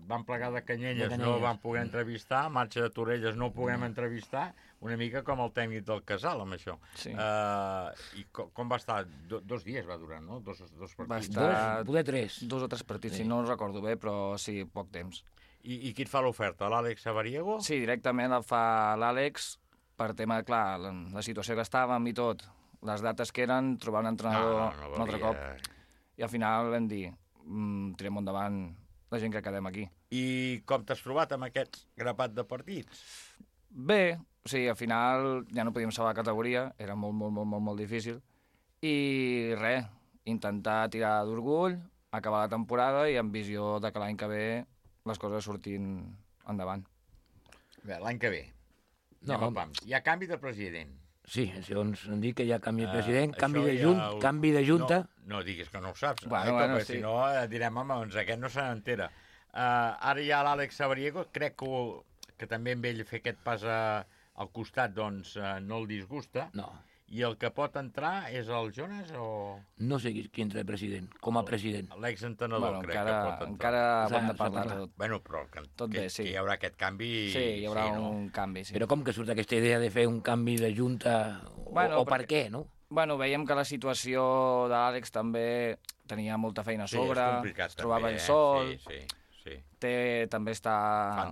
vam plegar de Canyelles, no el vam poder entrevistar, marxa de Torrelles no ho puguem entrevistar, una mica com el tècnic del Casal, amb això. Sí. I com va estar? 2 dies va durar, no? Dos partits. Va estar... Poder 3. 2 o 3 partits, sí. No els recordo bé, però sí, poc temps. I qui et fa l'oferta? L'Àlex Sabariego? Sí, directament el fa l'Àlex, per tema, clar, la situació que estàvem i tot, les dates que eren, trobar un entrenador un altre cop. I al final vam dir, tirem endavant la gent que quedem aquí. I com t'has trobat amb aquest grapat de partits? Bé, o sigui, al final ja no podíem salvar categoria, era molt difícil, i res, intentar tirar d'orgull, acabar la temporada i amb visió de que l'any que ve les coses surtin endavant. Bé, l'any que ve. Hi ha canvi de president. Sí, segons em dic que hi ha canvi de president, canvi de junta... No diguis que no ho saps, bueno, sí. Si no direm, home, doncs aquest no se n'entera. Ara hi ha l'Àlex Sabariego, crec que també amb ell fer aquest pas al costat, doncs no el disgusta. No. I el que pot entrar és el Jonas o...? No sé qui entra president, com a president. L'exentrenador, crec que pot entrar. Encara hem de parlar tot. Bueno, però que hi haurà aquest canvi... Sí, hi haurà un canvi, sí. Però com que surt aquesta idea de fer un canvi de junta, o per què, no? Bueno, veiem que la situació de l'Àlex també tenia molta feina a sobre, es trobava ell sol, també està... Fa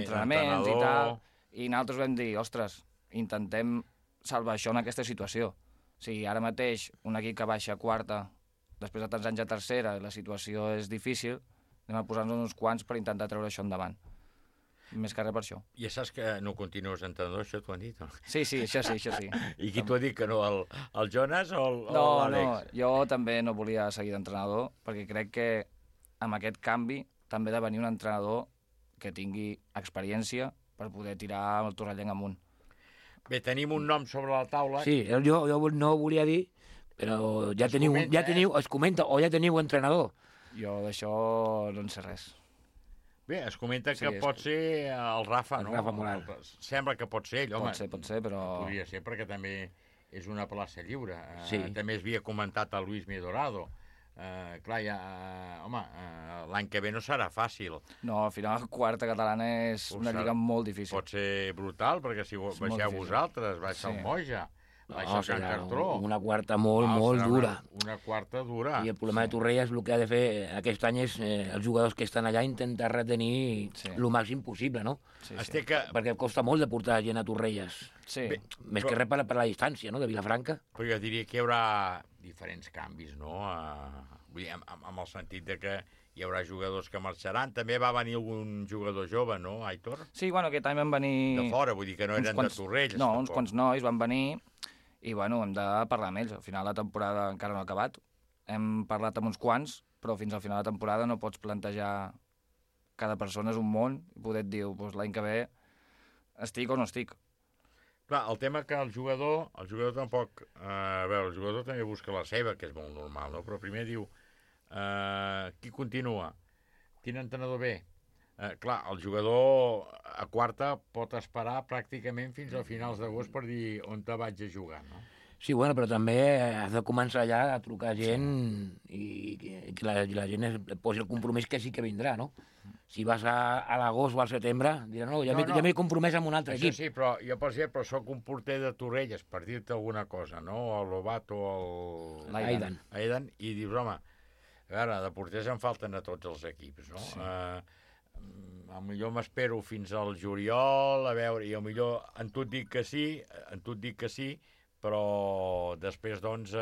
entrenaments i tal, i nosaltres vam dir, ostres, intentem salvar això en aquesta situació. O sigui, ara mateix, un equip que baixa a quarta, després de tants anys a tercera, i la situació és difícil, anem a posar-nos uns quants per intentar treure això endavant. Més que res per això. Ja saps que no continues entrenador, això t'ho han dit? No? Sí, això sí. I qui t'ho ha dit que no, el Jonas o l'Àlex? No, jo també no volia seguir d'entrenador, perquè crec que amb aquest canvi també ha de venir un entrenador que tingui experiència per poder tirar el Torrellenc amunt. Bé, tenim un nom sobre la taula. Sí, jo no ho volia dir, però ja teniu, es comenta, o ja teniu entrenador. Jo d'això no en sé res. Bé, es comenta que pot ser el Rafa, no? El Rafa Moral. Sembla que pot ser ell, home. Pot ser, però... Podria ser, perquè també és una plaça lliure. Sí. També es havia comentat a Luis Midorado. Clar, l'any que ve no serà fàcil. No, al final la quarta catalana és una lliga molt difícil. Pot ser brutal, perquè si baixeu vosaltres, baixa el Moja, baixa el Can Cartró. Una quarta molt dura. Una quarta dura. I el problema de Torrelles, el que ha de fer aquest any és els jugadors que estan allà intentar retenir el màxim possible, no? Perquè costa molt de portar gent a Torrelles. Més que res per la distància, no?, de Vilafranca. Però jo diria que hi haurà diferents canvis, no? Vull dir, amb el sentit de que hi haurà jugadors que marxaran. També va venir algun jugador jove, no, Aitor? Sí, bueno, aquest any van venir... De fora, vull dir que no eren de Torrelles. No, uns quants nois van venir i, bueno, hem de parlar amb ells. Al final la temporada encara no ha acabat. Hem parlat amb uns quants, però fins al final de la temporada no pots plantejar... Cada persona és un món i poder et dir, doncs l'any que ve estic o no estic. Clar, el tema que el jugador tampoc... A veure, el jugador també busca la seva, que és molt normal, no? Però primer diu, qui continua? Quin entrenador ve? Clar, el jugador a quarta pot esperar pràcticament fins a finals d'agost per dir on te vaig a jugar, no? Sí, bueno, però també has de començar ja a trucar gent i que la gent posi el compromís que sí que vindrà, no? Si vas a l'agost o al setembre, dirà, no, ja m'he compromès amb un altre equip. Això sí, però jo, per exemple, soc un porter de Torrelles, per dir-te alguna cosa, no? El Lobato o l'Aidan. I dius, home, a veure, de porters en falten a tots els equips, no? Sí. Millor m'espero fins al juliol, a veure, i millor en tu et dic que sí, però després, doncs,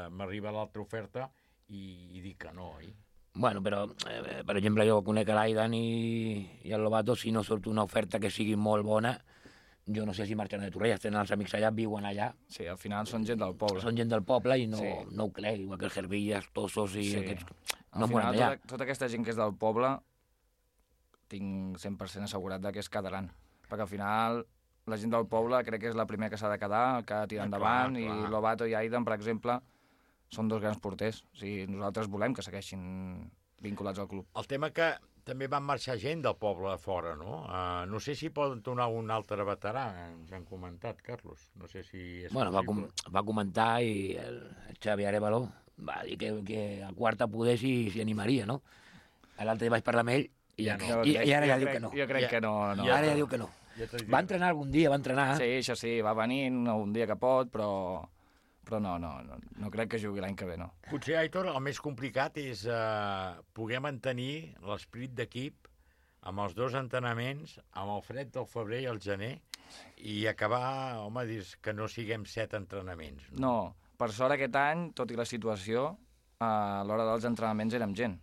m'arriba l'altra oferta i dic que no, oi? Bueno, però, per exemple, jo conec l'Aidan i el Lobato, si no surt una oferta que sigui molt bona, jo no sé si marxen de Torrelles, tenen els amics allà, viuen allà. Sí, al final són gent del poble. Són gent del poble i no ho crec, igual que els Hervillas, Tossos i aquests... Al final, tota aquesta gent que és del poble, tinc 100% assegurat que es quedaran. Perquè al final, la gent del poble crec que és la primera que s'ha de quedar, que ha de tirar endavant, i Lobato i Aidan, per exemple, són dos grans porters. O sigui, nosaltres volem que segueixin vinculats al club. El tema que també van marxar gent del poble de fora, no? No sé si poden tornar un altre veterà, ens han comentat, Carlos. No sé si és possible. Va comentar i el Xavi Arévalo va dir que a quarta poder s'hi animaria, no? L'altre dia vaig parlar amb ell i ara ja diu que no. Jo crec que no. Ara ja diu que no. Va entrenar algun dia, va entrenar. Sí, això sí, va venir un dia que pot, però no crec que jugui l'any que ve, no. Potser, Aitor, el més complicat és poder mantenir l'esperit d'equip amb els dos entrenaments, amb el fred del febrer i el gener, i acabar, home, dius que no siguem 7 entrenaments. No, per sort aquest any, tot i la situació, a l'hora dels entrenaments érem gent.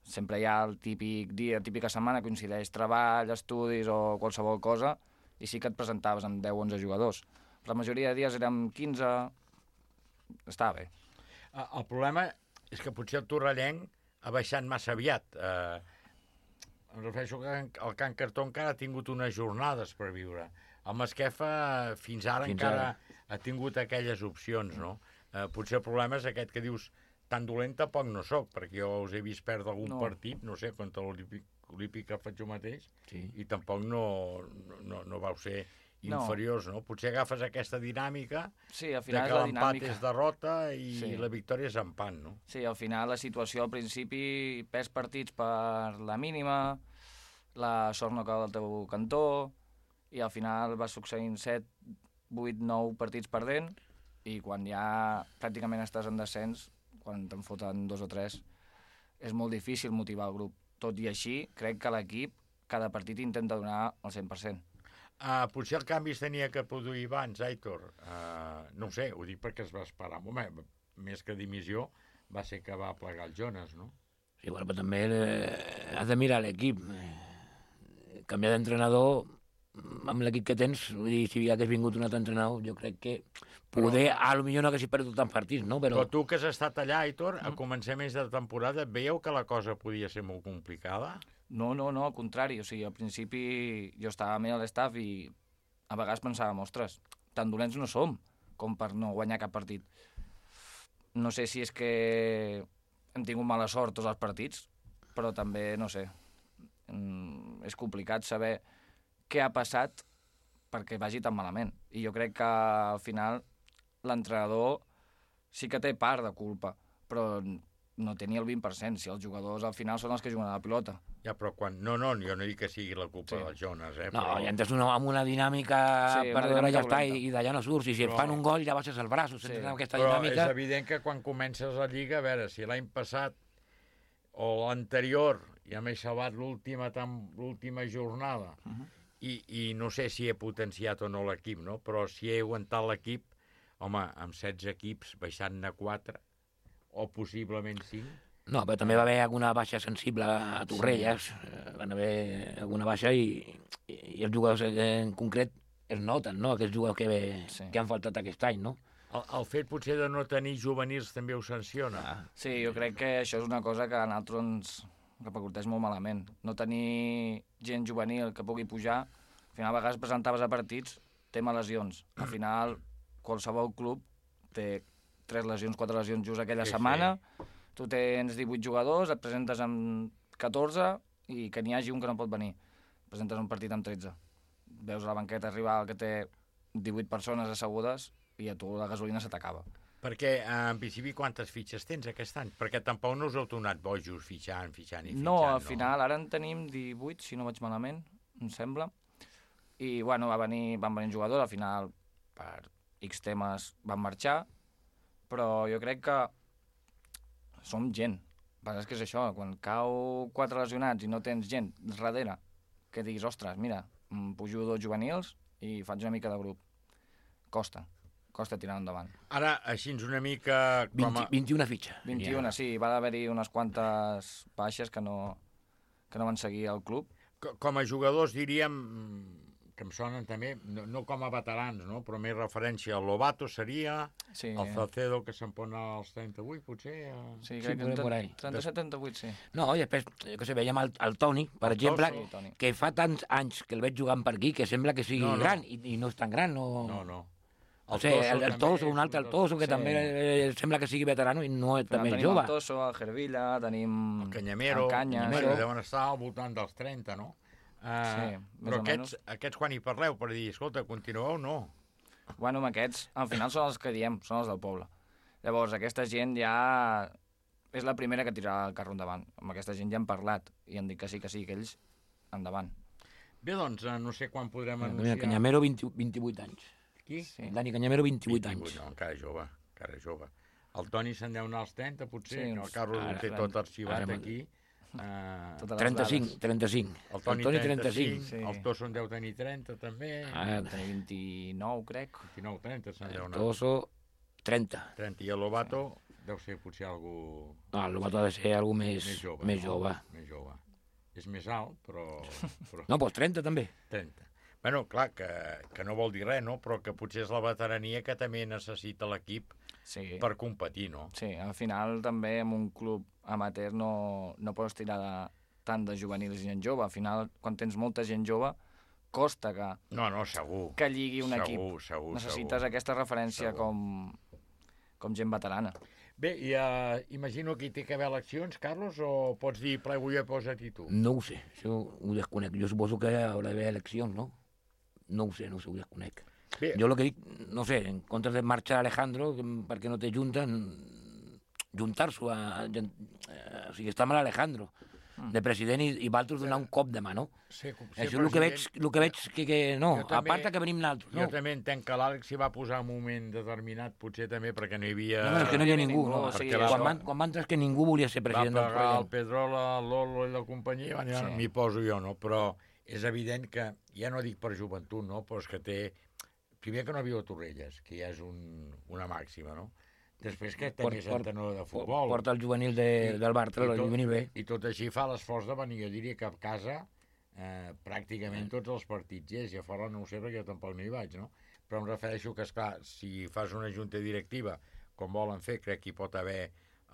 Sempre hi ha el típic dia, típica setmana, coincideix treball, estudis o qualsevol cosa, i sí que et presentaves amb 10 o 11 jugadors. Però la majoria de dies érem 15... Està bé. El problema és que potser el torrellenc ha baixat massa aviat. Em refereixo que el Can Cartó encara ha tingut unes jornades per viure. El Masquefa fins ara encara ha tingut aquelles opcions, no? Potser el problema és aquest que dius tan dolent tampoc no soc, perquè jo us he vist perdre algun partit, no sé, contra l'Olímpic que faig jo mateix, i tampoc no vau ser inferiors, no? Potser agafes aquesta dinàmica de que l'empat és derrota i la victòria és empat, no? Sí, al final la situació al principi perds partits per la mínima, la sort no cau del teu cantó, i al final vas succeint 7, 8, 9 partits perdent, i quan ja pràcticament estàs en descens, quan te'n foten 2 o 3, és molt difícil motivar el grup. Tot i així, crec que l'equip cada partit intenta donar el 100%. Potser el canvi es tenia que produir abans, Aitor. No ho sé, ho dic perquè es va esperar. Home, més que dimissió, va ser que va plegar el Jonas, no? Sí, bueno, però també has de mirar l'equip. Canviar d'entrenador amb l'equip que tens, vull dir, si hagués vingut un altre entrenador, jo crec que poder, potser no haguessis perdut tants partits, no? Però tu que has estat allà, Aitor, a començaments de temporada, veieu que la cosa podia ser molt complicada? No, al contrari. O sigui, al principi jo estava amb l'estaf i a vegades pensàvem, ostres, tan dolents no som com per no guanyar cap partit. No sé si és que hem tingut mala sort tots els partits, però també, no sé, és complicat saber què ha passat perquè vagi tan malament. I jo crec que al final l'entrenador sí que té part de culpa, però no té ni el 20%, si els jugadors al final són els que juguen a la pilota. Ja, però quan... No, jo no dic que sigui la culpa del Jonas, No, però... ja entres amb una dinàmica perdedora ja està, i d'allà no surts, i si et fan un gol ja baixes el braç, aquesta dinàmica... Però és evident que quan comences la Lliga, a veure, si l'any passat o l'anterior ja m'he salvat l'última jornada, i no sé si he potenciat o no l'equip, no? Però si he aguantat l'equip, home, amb 16 equips baixant-ne 4, o possiblement 5... No, però també va haver alguna baixa sensible a Torrelles, van haver alguna baixa i els jugadors en concret es noten, no?, aquests jugadors que han faltat aquest any, no? El fet potser de no tenir juvenils també ho sanciona. Sí, jo crec que això és una cosa que a nosaltres ens repercuteix molt malament. No tenir gent juvenil que pugui pujar, al final a vegades presentaves a partits, tema lesions. Al final qualsevol club té 3 lesions, 4 lesions just aquella setmana, tu tens 18 jugadors, et presentes amb 14 i que n'hi hagi un que no pot venir. Presentes un partit amb 13. Veus a la banqueta rival que té 18 persones assegudes i a tu la gasolina se t'acaba. Perquè, en principi, quantes fitxes tens aquest any? Perquè tampoc no us heu tornat bojos fitxant i fitxant. No, al final, ara en tenim 18, si no vaig malament, em sembla. I, bueno, van venir jugadors, al final, per X temes van marxar, però jo crec que som gent. El que és que és això, quan cau 4 lesionats i no tens gent darrere, que diguis, ostres, mira, pujo 2 juvenils i faig una mica de grup. Costa tirar endavant. Ara, així una mica... 21 fitxa. 21, sí. Va haver-hi unes quantes baixes que no van seguir el club. Com a jugadors, diríem, que em sonen també, no com a veterans, no? Però més referència al Lobato seria, el Salcedo, que se'n pon als 38, potser? Sí, crec que 37-38, sí. No, i després, que sé, veiem el Toni, per exemple, que fa tants anys que el veig jugant per aquí, que sembla que sigui gran, i no és tan gran, no... No. El Toso, un altre, el Toso, que també sembla que sigui veterano i no és també jove. Tenim el Toso, el Gervilla, tenim... El Canyamero, que deuen estar al voltant dels 30, no? Però aquests quan hi parleu, per dir, escolta, continueu o no? Bueno, amb aquests, al final són els que diem, són els del poble. Llavors, aquesta gent ja és la primera que tirarà el carro endavant. Amb aquesta gent ja hem parlat i han dit que sí, que ells endavant. Bé, doncs, no sé quan podrem anunciar... Canyamero, 28 anys. Qui? Sí. Dani Canyamero, 28 anys. No, encara jove. El Toni se'n deu anar als 30, potser, que el Carlos ho té tot arxivat aquí. 35. El Toni 35. El Toso en deu tenir 30, també. Tenir 29, crec. 29-30 se'n deu anar. El Toso, 30. I el Lobato deu ser potser algú... No, el Lobato ha de ser algú més jove. Més jove. És més alt, però... No, doncs 30 també. 30. Bueno, clar, que no vol dir res, no? Però que potser és la veterania que també necessita l'equip per competir, no? Sí, al final també en un club amateur no pots tirar tant de juvenils i gent jove. Al final, quan tens molta gent jove, costa que... No, segur. Que lligui un equip. Segur. Necessites aquesta referència com gent veterana. Bé, i imagino que hi té que haver eleccions, Carlos, o pots dir plego jo i posa-t'hi tu? No ho sé, això ho desconec. Jo suposo que haurà d'haver eleccions, no? No ho sé, ho desconec. Bé. Jo el que dic, no sé, en comptes de marxar Alejandro, perquè no té junta, juntar-s'ho, o sigui, està mal Alejandro, de president, i Valtros donar un cop de mà, no? Sí, això és el que veig que no, a part que venim naltros, no? Jo també entenc que l'Àlex s'hi va posar en un moment determinat, potser també perquè no hi havia... No, és que no hi havia ningú, no? Quan va entrar és que ningú volia ser president del programa. Va pagar el Pedrola, el Lolo i la companyia, m'hi poso jo, no? Però és evident que, ja no dic per joventut, no? Però és que té... Primer que no viu a Torrelles, que ja és una màxima, no? Després que té més entenedor de futbol. Porta el juvenil del Bartra, el juvenil B. I tot així fa l'esforç de venir, jo diria que a casa pràcticament tots els partits és, i a fora no ho sé perquè jo tampoc no hi vaig, no? Però em refereixo que, esclar, si fas una junta directiva, com volen fer, crec que hi pot haver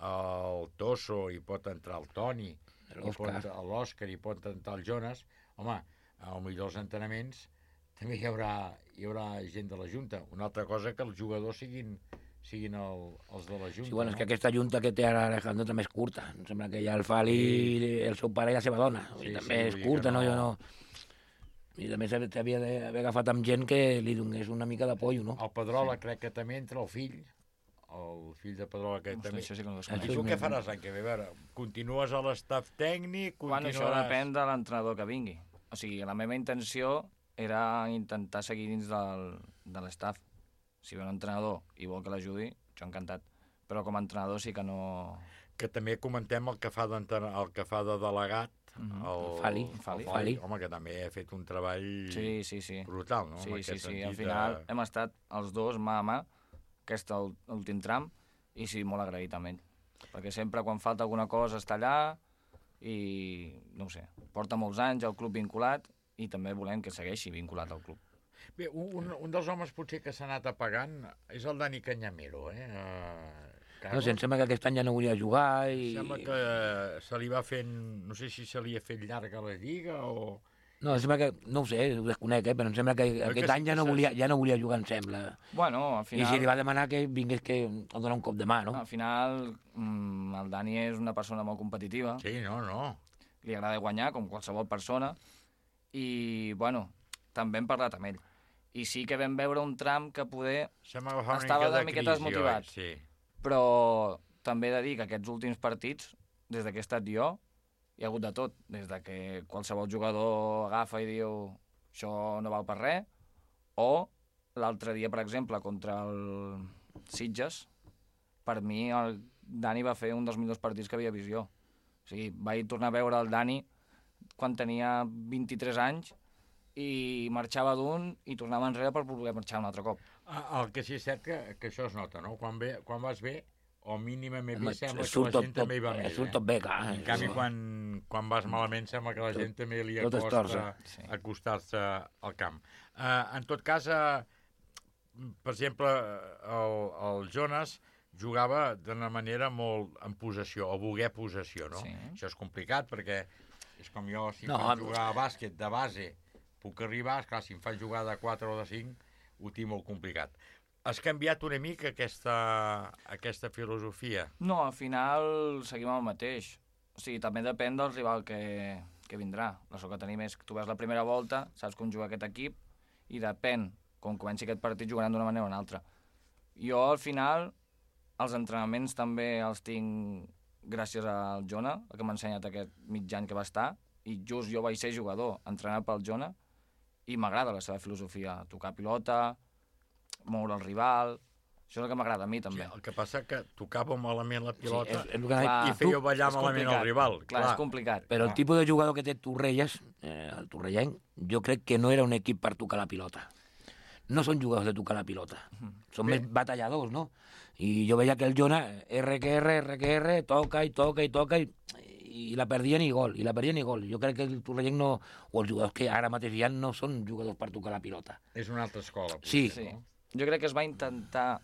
el Toso, hi pot entrar el Toni, l'Òscar, hi pot entrar el Jonas. Home, potser els entrenaments també hi haurà gent de la Junta. Una altra cosa que els jugadors siguin els de la Junta. Sí, bueno, és que aquesta Junta que té ara Alejandro també és curta. Em sembla que hi ha el Fali, el seu pare i la seva dona. També és curta, no? I també s'havia d'haver agafat amb gent que li donés una mica d'apollo, no? El Pedrola crec que també entra, el fill de Pedrola que també... Això sí que no I tu què faràs l'any que ve? A veure, continues a l'estaf tècnic? Bueno, això depèn de l'entrenador que vingui. O sigui, la meva intenció era intentar seguir dins de l'estaf. Si ve un entrenador i vol que l'ajudi, jo encantat. Però com a entrenador sí que no... Que també comentem el que fa de delegat, el Fali. Home, que també ha fet un treball brutal, no? Sí. Al final hem estat els dos mà a mà, aquest últim tram, i sí, molt agraït amb ell. Perquè sempre quan falta alguna cosa està allà i, no ho sé, porta molts anys al club vinculat i també volem que segueixi vinculat al club. Bé, un dels homes potser que s'ha anat apagant és el Dani Canyamero, No sé, em sembla que aquest any ja no volia jugar i... Sembla que se li va fent... No sé si se li ha fet llarga la lliga o... No, em sembla que... No ho sé, ho desconec, però em sembla que aquest any ja no volia jugar, em sembla. Bueno, al final... I si li va demanar que vingués a donar un cop de mà, no? Al final, el Dani és una persona molt competitiva. Sí, no. Li agrada guanyar, com qualsevol persona. I, bueno, també hem parlat amb ell. I sí que vam veure un tram que poder estava una miqueta desmotivat. Sí. Però també he de dir que aquests últims partits, des que he estat jo, hi ha hagut de tot. Des que qualsevol jugador agafa i diu això no val per res, o l'altre dia, per exemple, contra el Sitges, per mi el Dani va fer un dels millors partits que havia vist jo. O sigui, vaig tornar a veure el Dani quan tenia 23 anys i marxava d'un i tornava enrere per poder marxar un altre cop. El que sí és cert que això es nota, no? Quan vas bé, o mínimament bé, sembla que la gent també hi va bé. Surt tot bé, clar. En canvi, quan vas malament, sembla que la gent també li acosta acostar-se al camp. En tot cas, per exemple, el Jonas jugava d'una manera molt en possessió, o voler possessió, no? Això és complicat, perquè és com jo, si em fan jugar a bàsquet de base, puc arribar, esclar, si em fan jugar de 4 o de 5, ho tinc molt complicat. Has canviat una mica aquesta filosofia? No, al final seguim el mateix. O sigui, també depèn del rival que vindrà. La sort que tenim és que tu veus la primera volta, saps com juga aquest equip, i depèn, com comenci aquest partit, jugaran d'una manera o una altra. Jo, al final, els entrenaments també els tinc gràcies al Jona, el que m'ha ensenyat aquest mig any que va estar, i just jo vaig ser jugador, entrenat pel Jona, i m'agrada la seva filosofia, tocar pilota, moure el rival, això és el que m'agrada a mi també. Sí, el que passa que tocava malament la pilota i feia ballar malament el rival. Clar, és complicat. Però el tipus de jugador que té Torrelles, el torrellenc, jo crec que no era un equip per tocar la pilota. No són jugadors de tocar la pilota, són més batalladors, no? I jo veia que el Jona, RQR, toca i la perdien i gol, Jo crec que el Torrellenc no, o els jugadors que ara mateix hi ha, no són jugadors per tocar la pilota. És una altra escola. Sí. No? Jo crec que es va intentar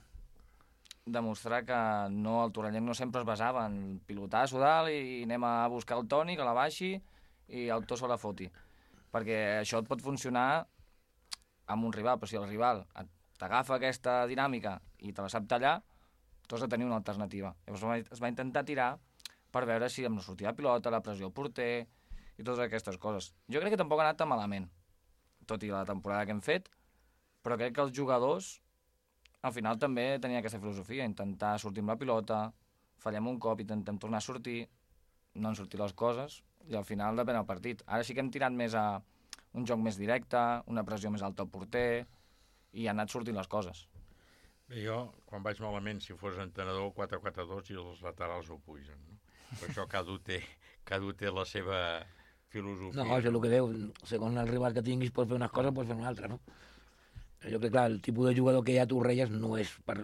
demostrar que no, el Torrellenc no sempre es basava en pilotar a dalt i anem a buscar el tònic, a la baixi i el to se la foti. Perquè això et pot funcionar amb un rival, però si el rival t'agafa aquesta dinàmica i te la sap tallar, tu has de tenir una alternativa. Llavors es va intentar tirar per veure si em sortia la pilota, la pressió al porter i totes aquestes coses. Jo crec que tampoc ha anat tan malament, tot i la temporada que hem fet, però crec que els jugadors al final també tenien aquesta filosofia, intentar sortir amb la pilota, fallem un cop, intentem tornar a sortir, no han sortit les coses, i al final depèn del partit. Ara sí que hem tirat més a un joc més directe, una pressió més alta al porter, i han anat sortint les coses. Bé, jo, quan vaig malament, si fos entrenador, 4-4-2 i els laterals ho pugen, no? Per això cada un té la seva filosofia. No, és el que deu. Segons el rival que tinguis, pots fer unes coses, pots fer una altra, no? Jo crec que, clar, el tipus de jugador que hi ha a Torrelles no és per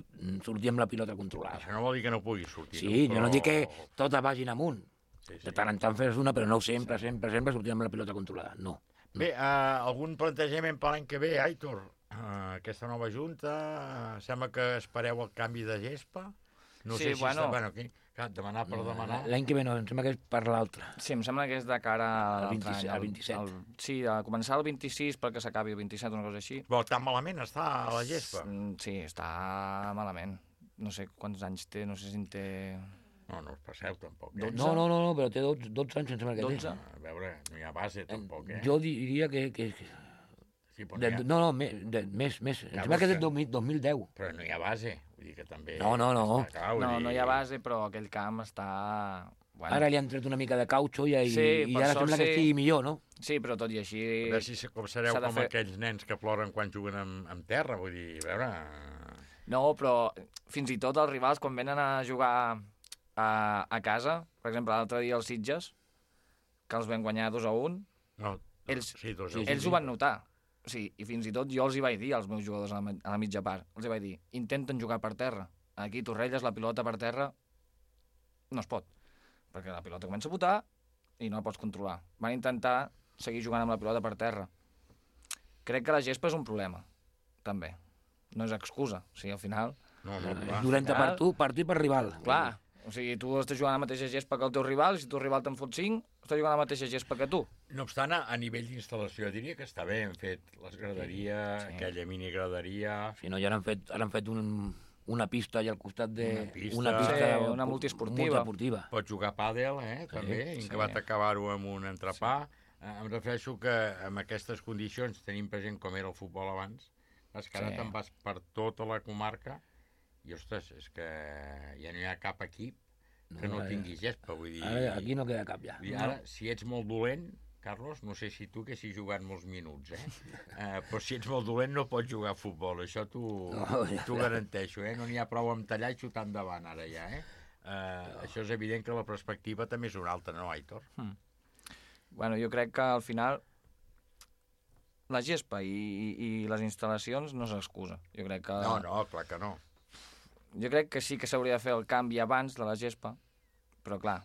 sortir amb la pilota controlada. Això no vol dir que no puguis sortir. Sí, no? Jo no dic que totes vagin amunt. De tant en tant fes una, però no sempre sortir amb la pilota controlada, no. Bé, algun plantejament per l'any que ve, Aitor? Aquesta nova junta, sembla que espereu el canvi de gespa? No sé si està... Bueno, demanar per demanar... L'any que ve no, em sembla que és per l'altre. Sí, em sembla que és de cara al 27. Sí, a començar el 26 perquè s'acabi el 27, una cosa així. Però tan malament està la gespa? Sí, està malament. No sé quants anys té, no sé si en té... No us passeu, tampoc. 12? No, però té 12 anys, em sembla que 12? té. A veure, no hi ha base, tampoc, Jo diria que... Sí, més. Em sembla que és del 2010. Però no hi ha base, vull dir que també... No. No hi ha base, però aquell camp està... Bueno. Ara li han tret una mica de cautxo i ara sembla que estigui millor, no? Sí, però tot i així... A veure si sereu com aquells nens que ploren quan juguen en terra, vull dir, a veure... No, però fins i tot els rivals, quan venen a jugar a casa, per exemple, l'altre dia els Sitges, que els vam guanyar 2-1, ells ho van notar. O sigui, i fins i tot jo els hi vaig dir als meus jugadors a la mitja part, els hi vaig dir, intenten jugar per terra. Aquí, Torrelles, la pilota per terra no es pot, perquè la pilota comença a botar i no la pots controlar. Van intentar seguir jugant amb la pilota per terra. Crec que la gespa és un problema, també. No és excusa, o sigui, al final... És dolenta per tu, per per rival. Clar, o sigui, tu estàs jugant a la mateixa gespa que el teu rival, i si el teu rival te'n fot 5, estàs jugant a la mateixa gespa que tu. No obstant, a nivell d'instal·lació, diria que està bé, hem fet les graderies, aquella mini-graderia... Sí, no, ja han fet una pista allà al costat de... Una multiesportiva. Pots jugar a pàdel, també, acabat d'acabar-ho amb un entrepà. Em refereixo que amb aquestes condicions, tenim present com era el futbol abans, És que ara te'n vas per tota la comarca i, ostres, és que ja no hi ha cap equip que no tingui gespa, vull dir... Ara aquí no queda cap ja. Ara, si ets molt dolent, Carlos, no sé si tu que haguessis jugat molts minuts, però si ets molt dolent no pots jugar a futbol, això t'ho garanteixo, no n'hi ha prou amb tallar i xutar endavant ara ja, Això és evident que la perspectiva també és una altra, no, Aitor? Bueno, jo crec que al final la gespa i les instal·lacions no s'excusa. Jo crec que... No, clar que no. Jo crec que sí que s'hauria de fer el canvi abans de la gespa, però clar,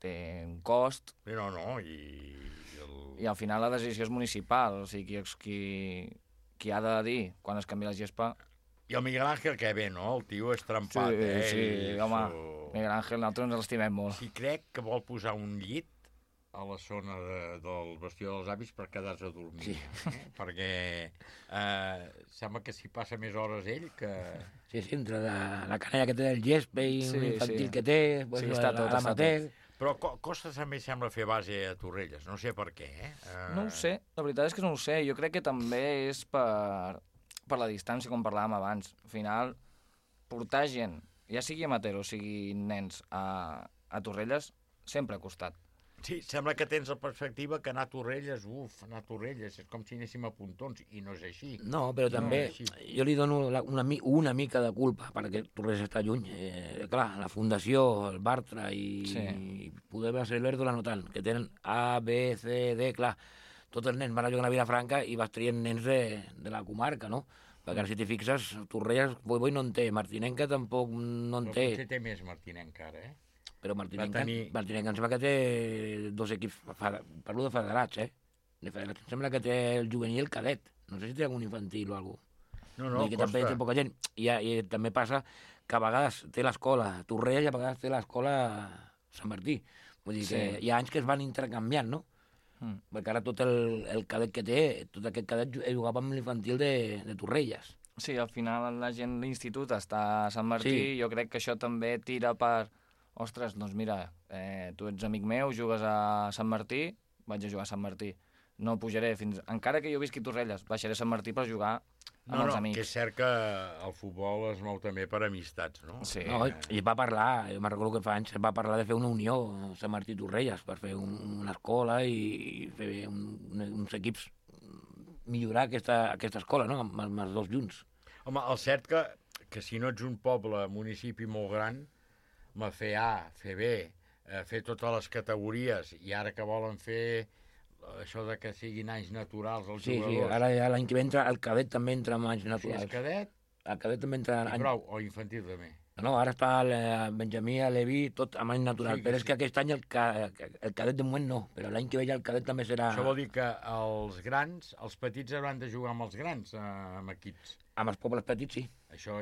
té un cost... No, i al final la decisió és municipal, o sigui, qui ha de dir quan es canvia la gespa... I el Miguel Ángel que ve, no? El tio és trempat, Sí, home, Miguel Ángel, nosaltres ens l'estimem molt. I crec que vol posar un llit a la zona del vestidor dels avis per quedar-se a dormir, perquè sembla que s'hi passa més hores ell que... Sí, entre la canalla que té del gespa i l'infantil que té, l'amateur... Però costa també sembla fer base a Torrelles, no sé per què, No ho sé, la veritat és que no ho sé, jo crec que també és per la distància, com parlàvem abans. Al final, portar gent, ja sigui amateur o sigui nens, a Torrelles, sempre ha costat. Sí, sembla que tens la perspectiva que anar a Torrelles, anar a Torrelles, és com si anéssim a Pontons, i no és així. No, però també jo li dono una mica de culpa, perquè Torrelles està lluny. Clar, la Fundació, el Bartra i poder ser l'Erdola no tant, que tenen A, B, C, D, clar, tots els nens van a jugar a Vilafranca i vas traient nens de la comarca, no? Perquè ara si t'hi fixes, Torrelles, Boi no en té, Martinenca tampoc no en té. Però potser té més Martinenca ara, Però Martinenca em sembla que té 2 equips, parlo de federats, De federats, em sembla que té el juvenil i el cadet. No sé si té algun infantil o alguna cosa. No, que també té poca gent. I també passa que a vegades té l'escola Torrelles i a vegades té l'escola Sant Martí. Vull dir que hi ha anys que es van intercanviant, no? Perquè ara tot el cadet que té, tot aquest cadet jugava amb l'infantil de Torrelles. Sí, al final la gent de l'institut està a Sant Martí, jo crec que això també tira per... Ostres, doncs mira, tu ets amic meu, jugues a Sant Martí, vaig a jugar a Sant Martí. No pujaré fins... Encara que jo visqui a Torrelles, baixaré a Sant Martí per jugar amb els amics. Que és cert que el futbol es mou també per amistats, no? Sí. No, i va parlar, jo me'n recordo que fa anys, va parlar de fer una unió a Sant Martí i Torrelles per fer una escola i fer uns equips, millorar aquesta escola, no?, amb els dos junts. Home, el cert que si no ets un poble, municipi molt gran, fer A, fer B, fer totes les categories, i ara que volen fer això de que siguin anys naturals els jugadors... Sí, ara ja l'any que ve el cadet també entra amb anys naturals. Si és cadet... El cadet també entra... I prou, o infantil també. No, ara està el Benjamí, el Levi, tot amb any natural, però és que aquest any el cadet de moment no, però l'any que ve ja el cadet també serà... Això vol dir que els grans, els petits hauran de jugar amb els grans, amb equips. Amb els pobles petits, sí. Això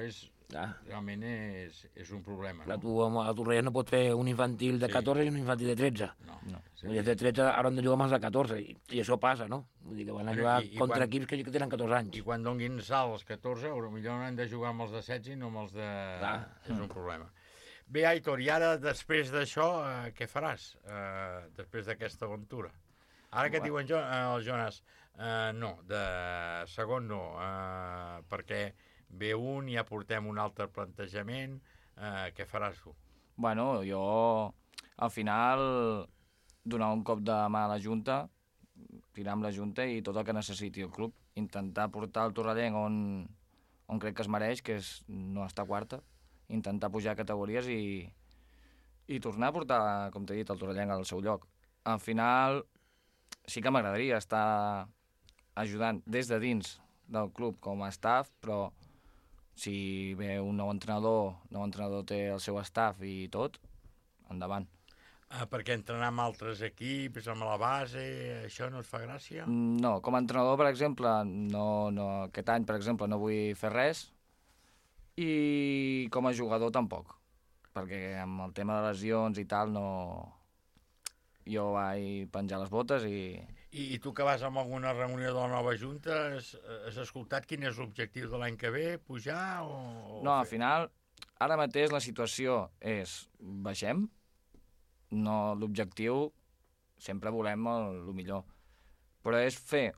realment és un problema, no? Tu a Torrelles no pots fer un infantil de 14 i un infantil de 13. No. Els de 13 hauran de jugar amb els de 14, i això passa, no? Vull dir que van a jugar contra equips que tenen 14 anys. I quan donguin salt els 14, potser han de jugar amb els de 16 i no amb els de... És un problema. Bé, Aitor, i ara, després d'això, què faràs? Després d'aquesta aventura? Ara que et diuen el Jonas, no, de segon no, perquè ve un i ja portem un altre plantejament, què faràs tu? Bueno, jo al final donar un cop de mà a la Junta, tirar amb la Junta i tot el que necessiti el club, intentar portar el Torrellenc on crec que es mereix, que és no estar quarta, intentar pujar categories i tornar a portar, com t'he dit, el Torrellenc al seu lloc. Al final sí que m'agradaria estar ajudant des de dins del club com a staff, però si ve un nou entrenador té el seu staff i tot, endavant. Perquè entrenar amb altres equips, amb la base, això no et fa gràcia? No, com a entrenador, per exemple, no, aquest any, per exemple, no vull fer res, i com a jugador tampoc, perquè amb el tema de lesions i tal, no... Jo vaig penjar les botes i... I tu que vas a alguna reunió de la nova Junta, has escoltat quin és l'objectiu de l'any que ve? Pujar o no, al final, ara mateix la situació és baixem, no, l'objectiu sempre volem el millor, però és fer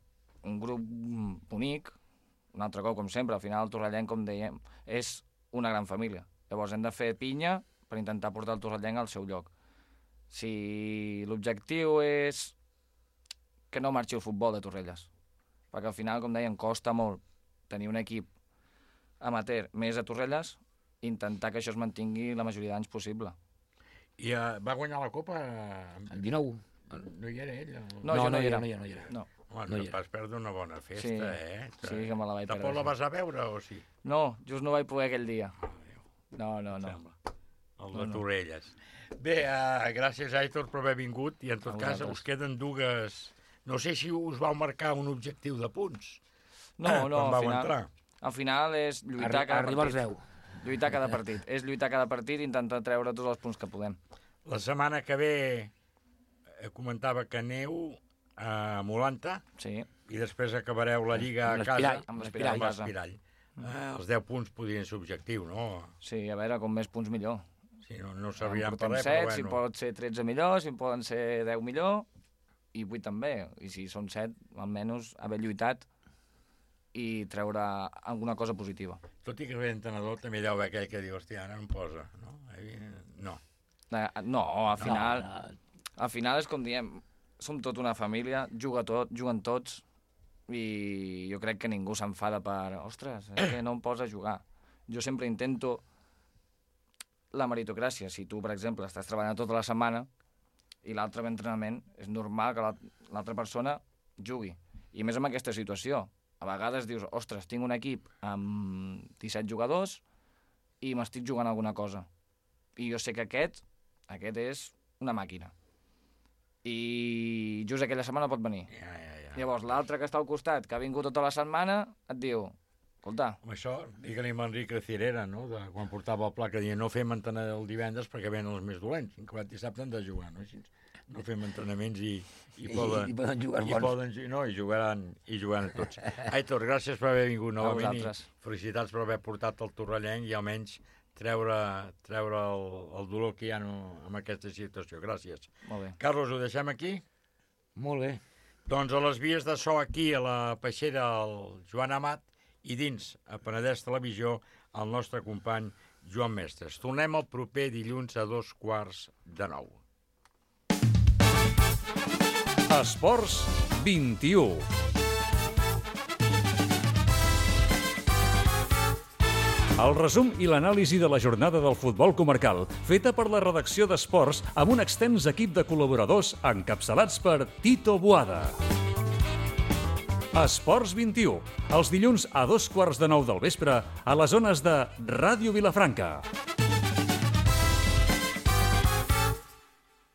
un grup bonic, un altre cop, com sempre, al final el torrellenc, com dèiem, és una gran família. Llavors hem de fer pinya per intentar portar el torrellenc al seu lloc. Si l'objectiu és que no marxi el futbol de Torrelles, perquè al final, com deien, costa molt tenir un equip amateur més a Torrelles, intentar que això es mantingui la majoria d'anys possible. I va guanyar la Copa... El 19. No hi era ell? No, jo no hi era. No. Bueno, et vas perdre una bona festa, Sí, que me la vaig perdre. Tampoc la vas a veure, o sí? No, just no vaig poder aquell dia. No. El de Torrelles. Bé, gràcies, Aitor, per haver vingut, i en tot cas us queden dues... No sé si us vau marcar un objectiu de punts. No, al final és lluitar cada Arribar als 10. Lluitar cada partit. És lluitar cada partit i intentar treure tots els punts que podem. La setmana que ve comentava que aneu a Molanta, i després acabareu la Lliga a casa amb l'Espirall. Els 10 punts podrien ser objectiu, no? Sí, a veure, com més punts millor. Sí, no serviran per res, 7, però bueno. Si pot ser 13 millor, si poden ser 10 millor, i 8 també. I si són 7, almenys haver lluitat i treure alguna cosa positiva. Tot i que l'entrenador també deu haver aquell que diu, hòstia, ara em posa, no? No. No, al final és com diem, som tota una família, juguen tots, i jo crec que ningú s'enfada per, ostres, és que no em posa a jugar. Jo sempre intento la meritocràcia. Si tu, per exemple, estàs treballant tota la setmana i l'altre entrenament, és normal que l'altra persona jugui. I més en aquesta situació. A vegades dius, ostres, tinc un equip amb 17 jugadors i m'estic jugant alguna cosa. I jo sé que aquest és una màquina. I just aquella setmana pot venir. Llavors, l'altre que està al costat, que ha vingut tota la setmana, et diu, escolta... Amb això, digue-li amb Enrique Cirera, no?, de quan portava el pla, que deia no fem entrenament el divendres perquè venen els més dolents, i que dissabte han de jugar, no? Així, no fem entrenaments i poden jugar bons. I jugaran tots. Aitor, gràcies per haver vingut novament i felicitats per haver portat el torrellenc i almenys treure el dolor que hi ha en aquesta situació. Gràcies. Molt bé. Carlos, ho deixem aquí? Molt bé. Doncs a les vies de so aquí, a la peixera, el Joan Amat, i dins, a Penedès Televisió, el nostre company Joan Mestres. Tornem el proper dilluns a 8:45. Esports 21. El resum i l'anàlisi de la jornada del futbol comarcal, feta per la redacció d'Esports amb un extens equip de col·laboradors encapçalats per Tito Boada. Esports 21, els dilluns a 8:15 del vespre a les zones de Ràdio Vilafranca.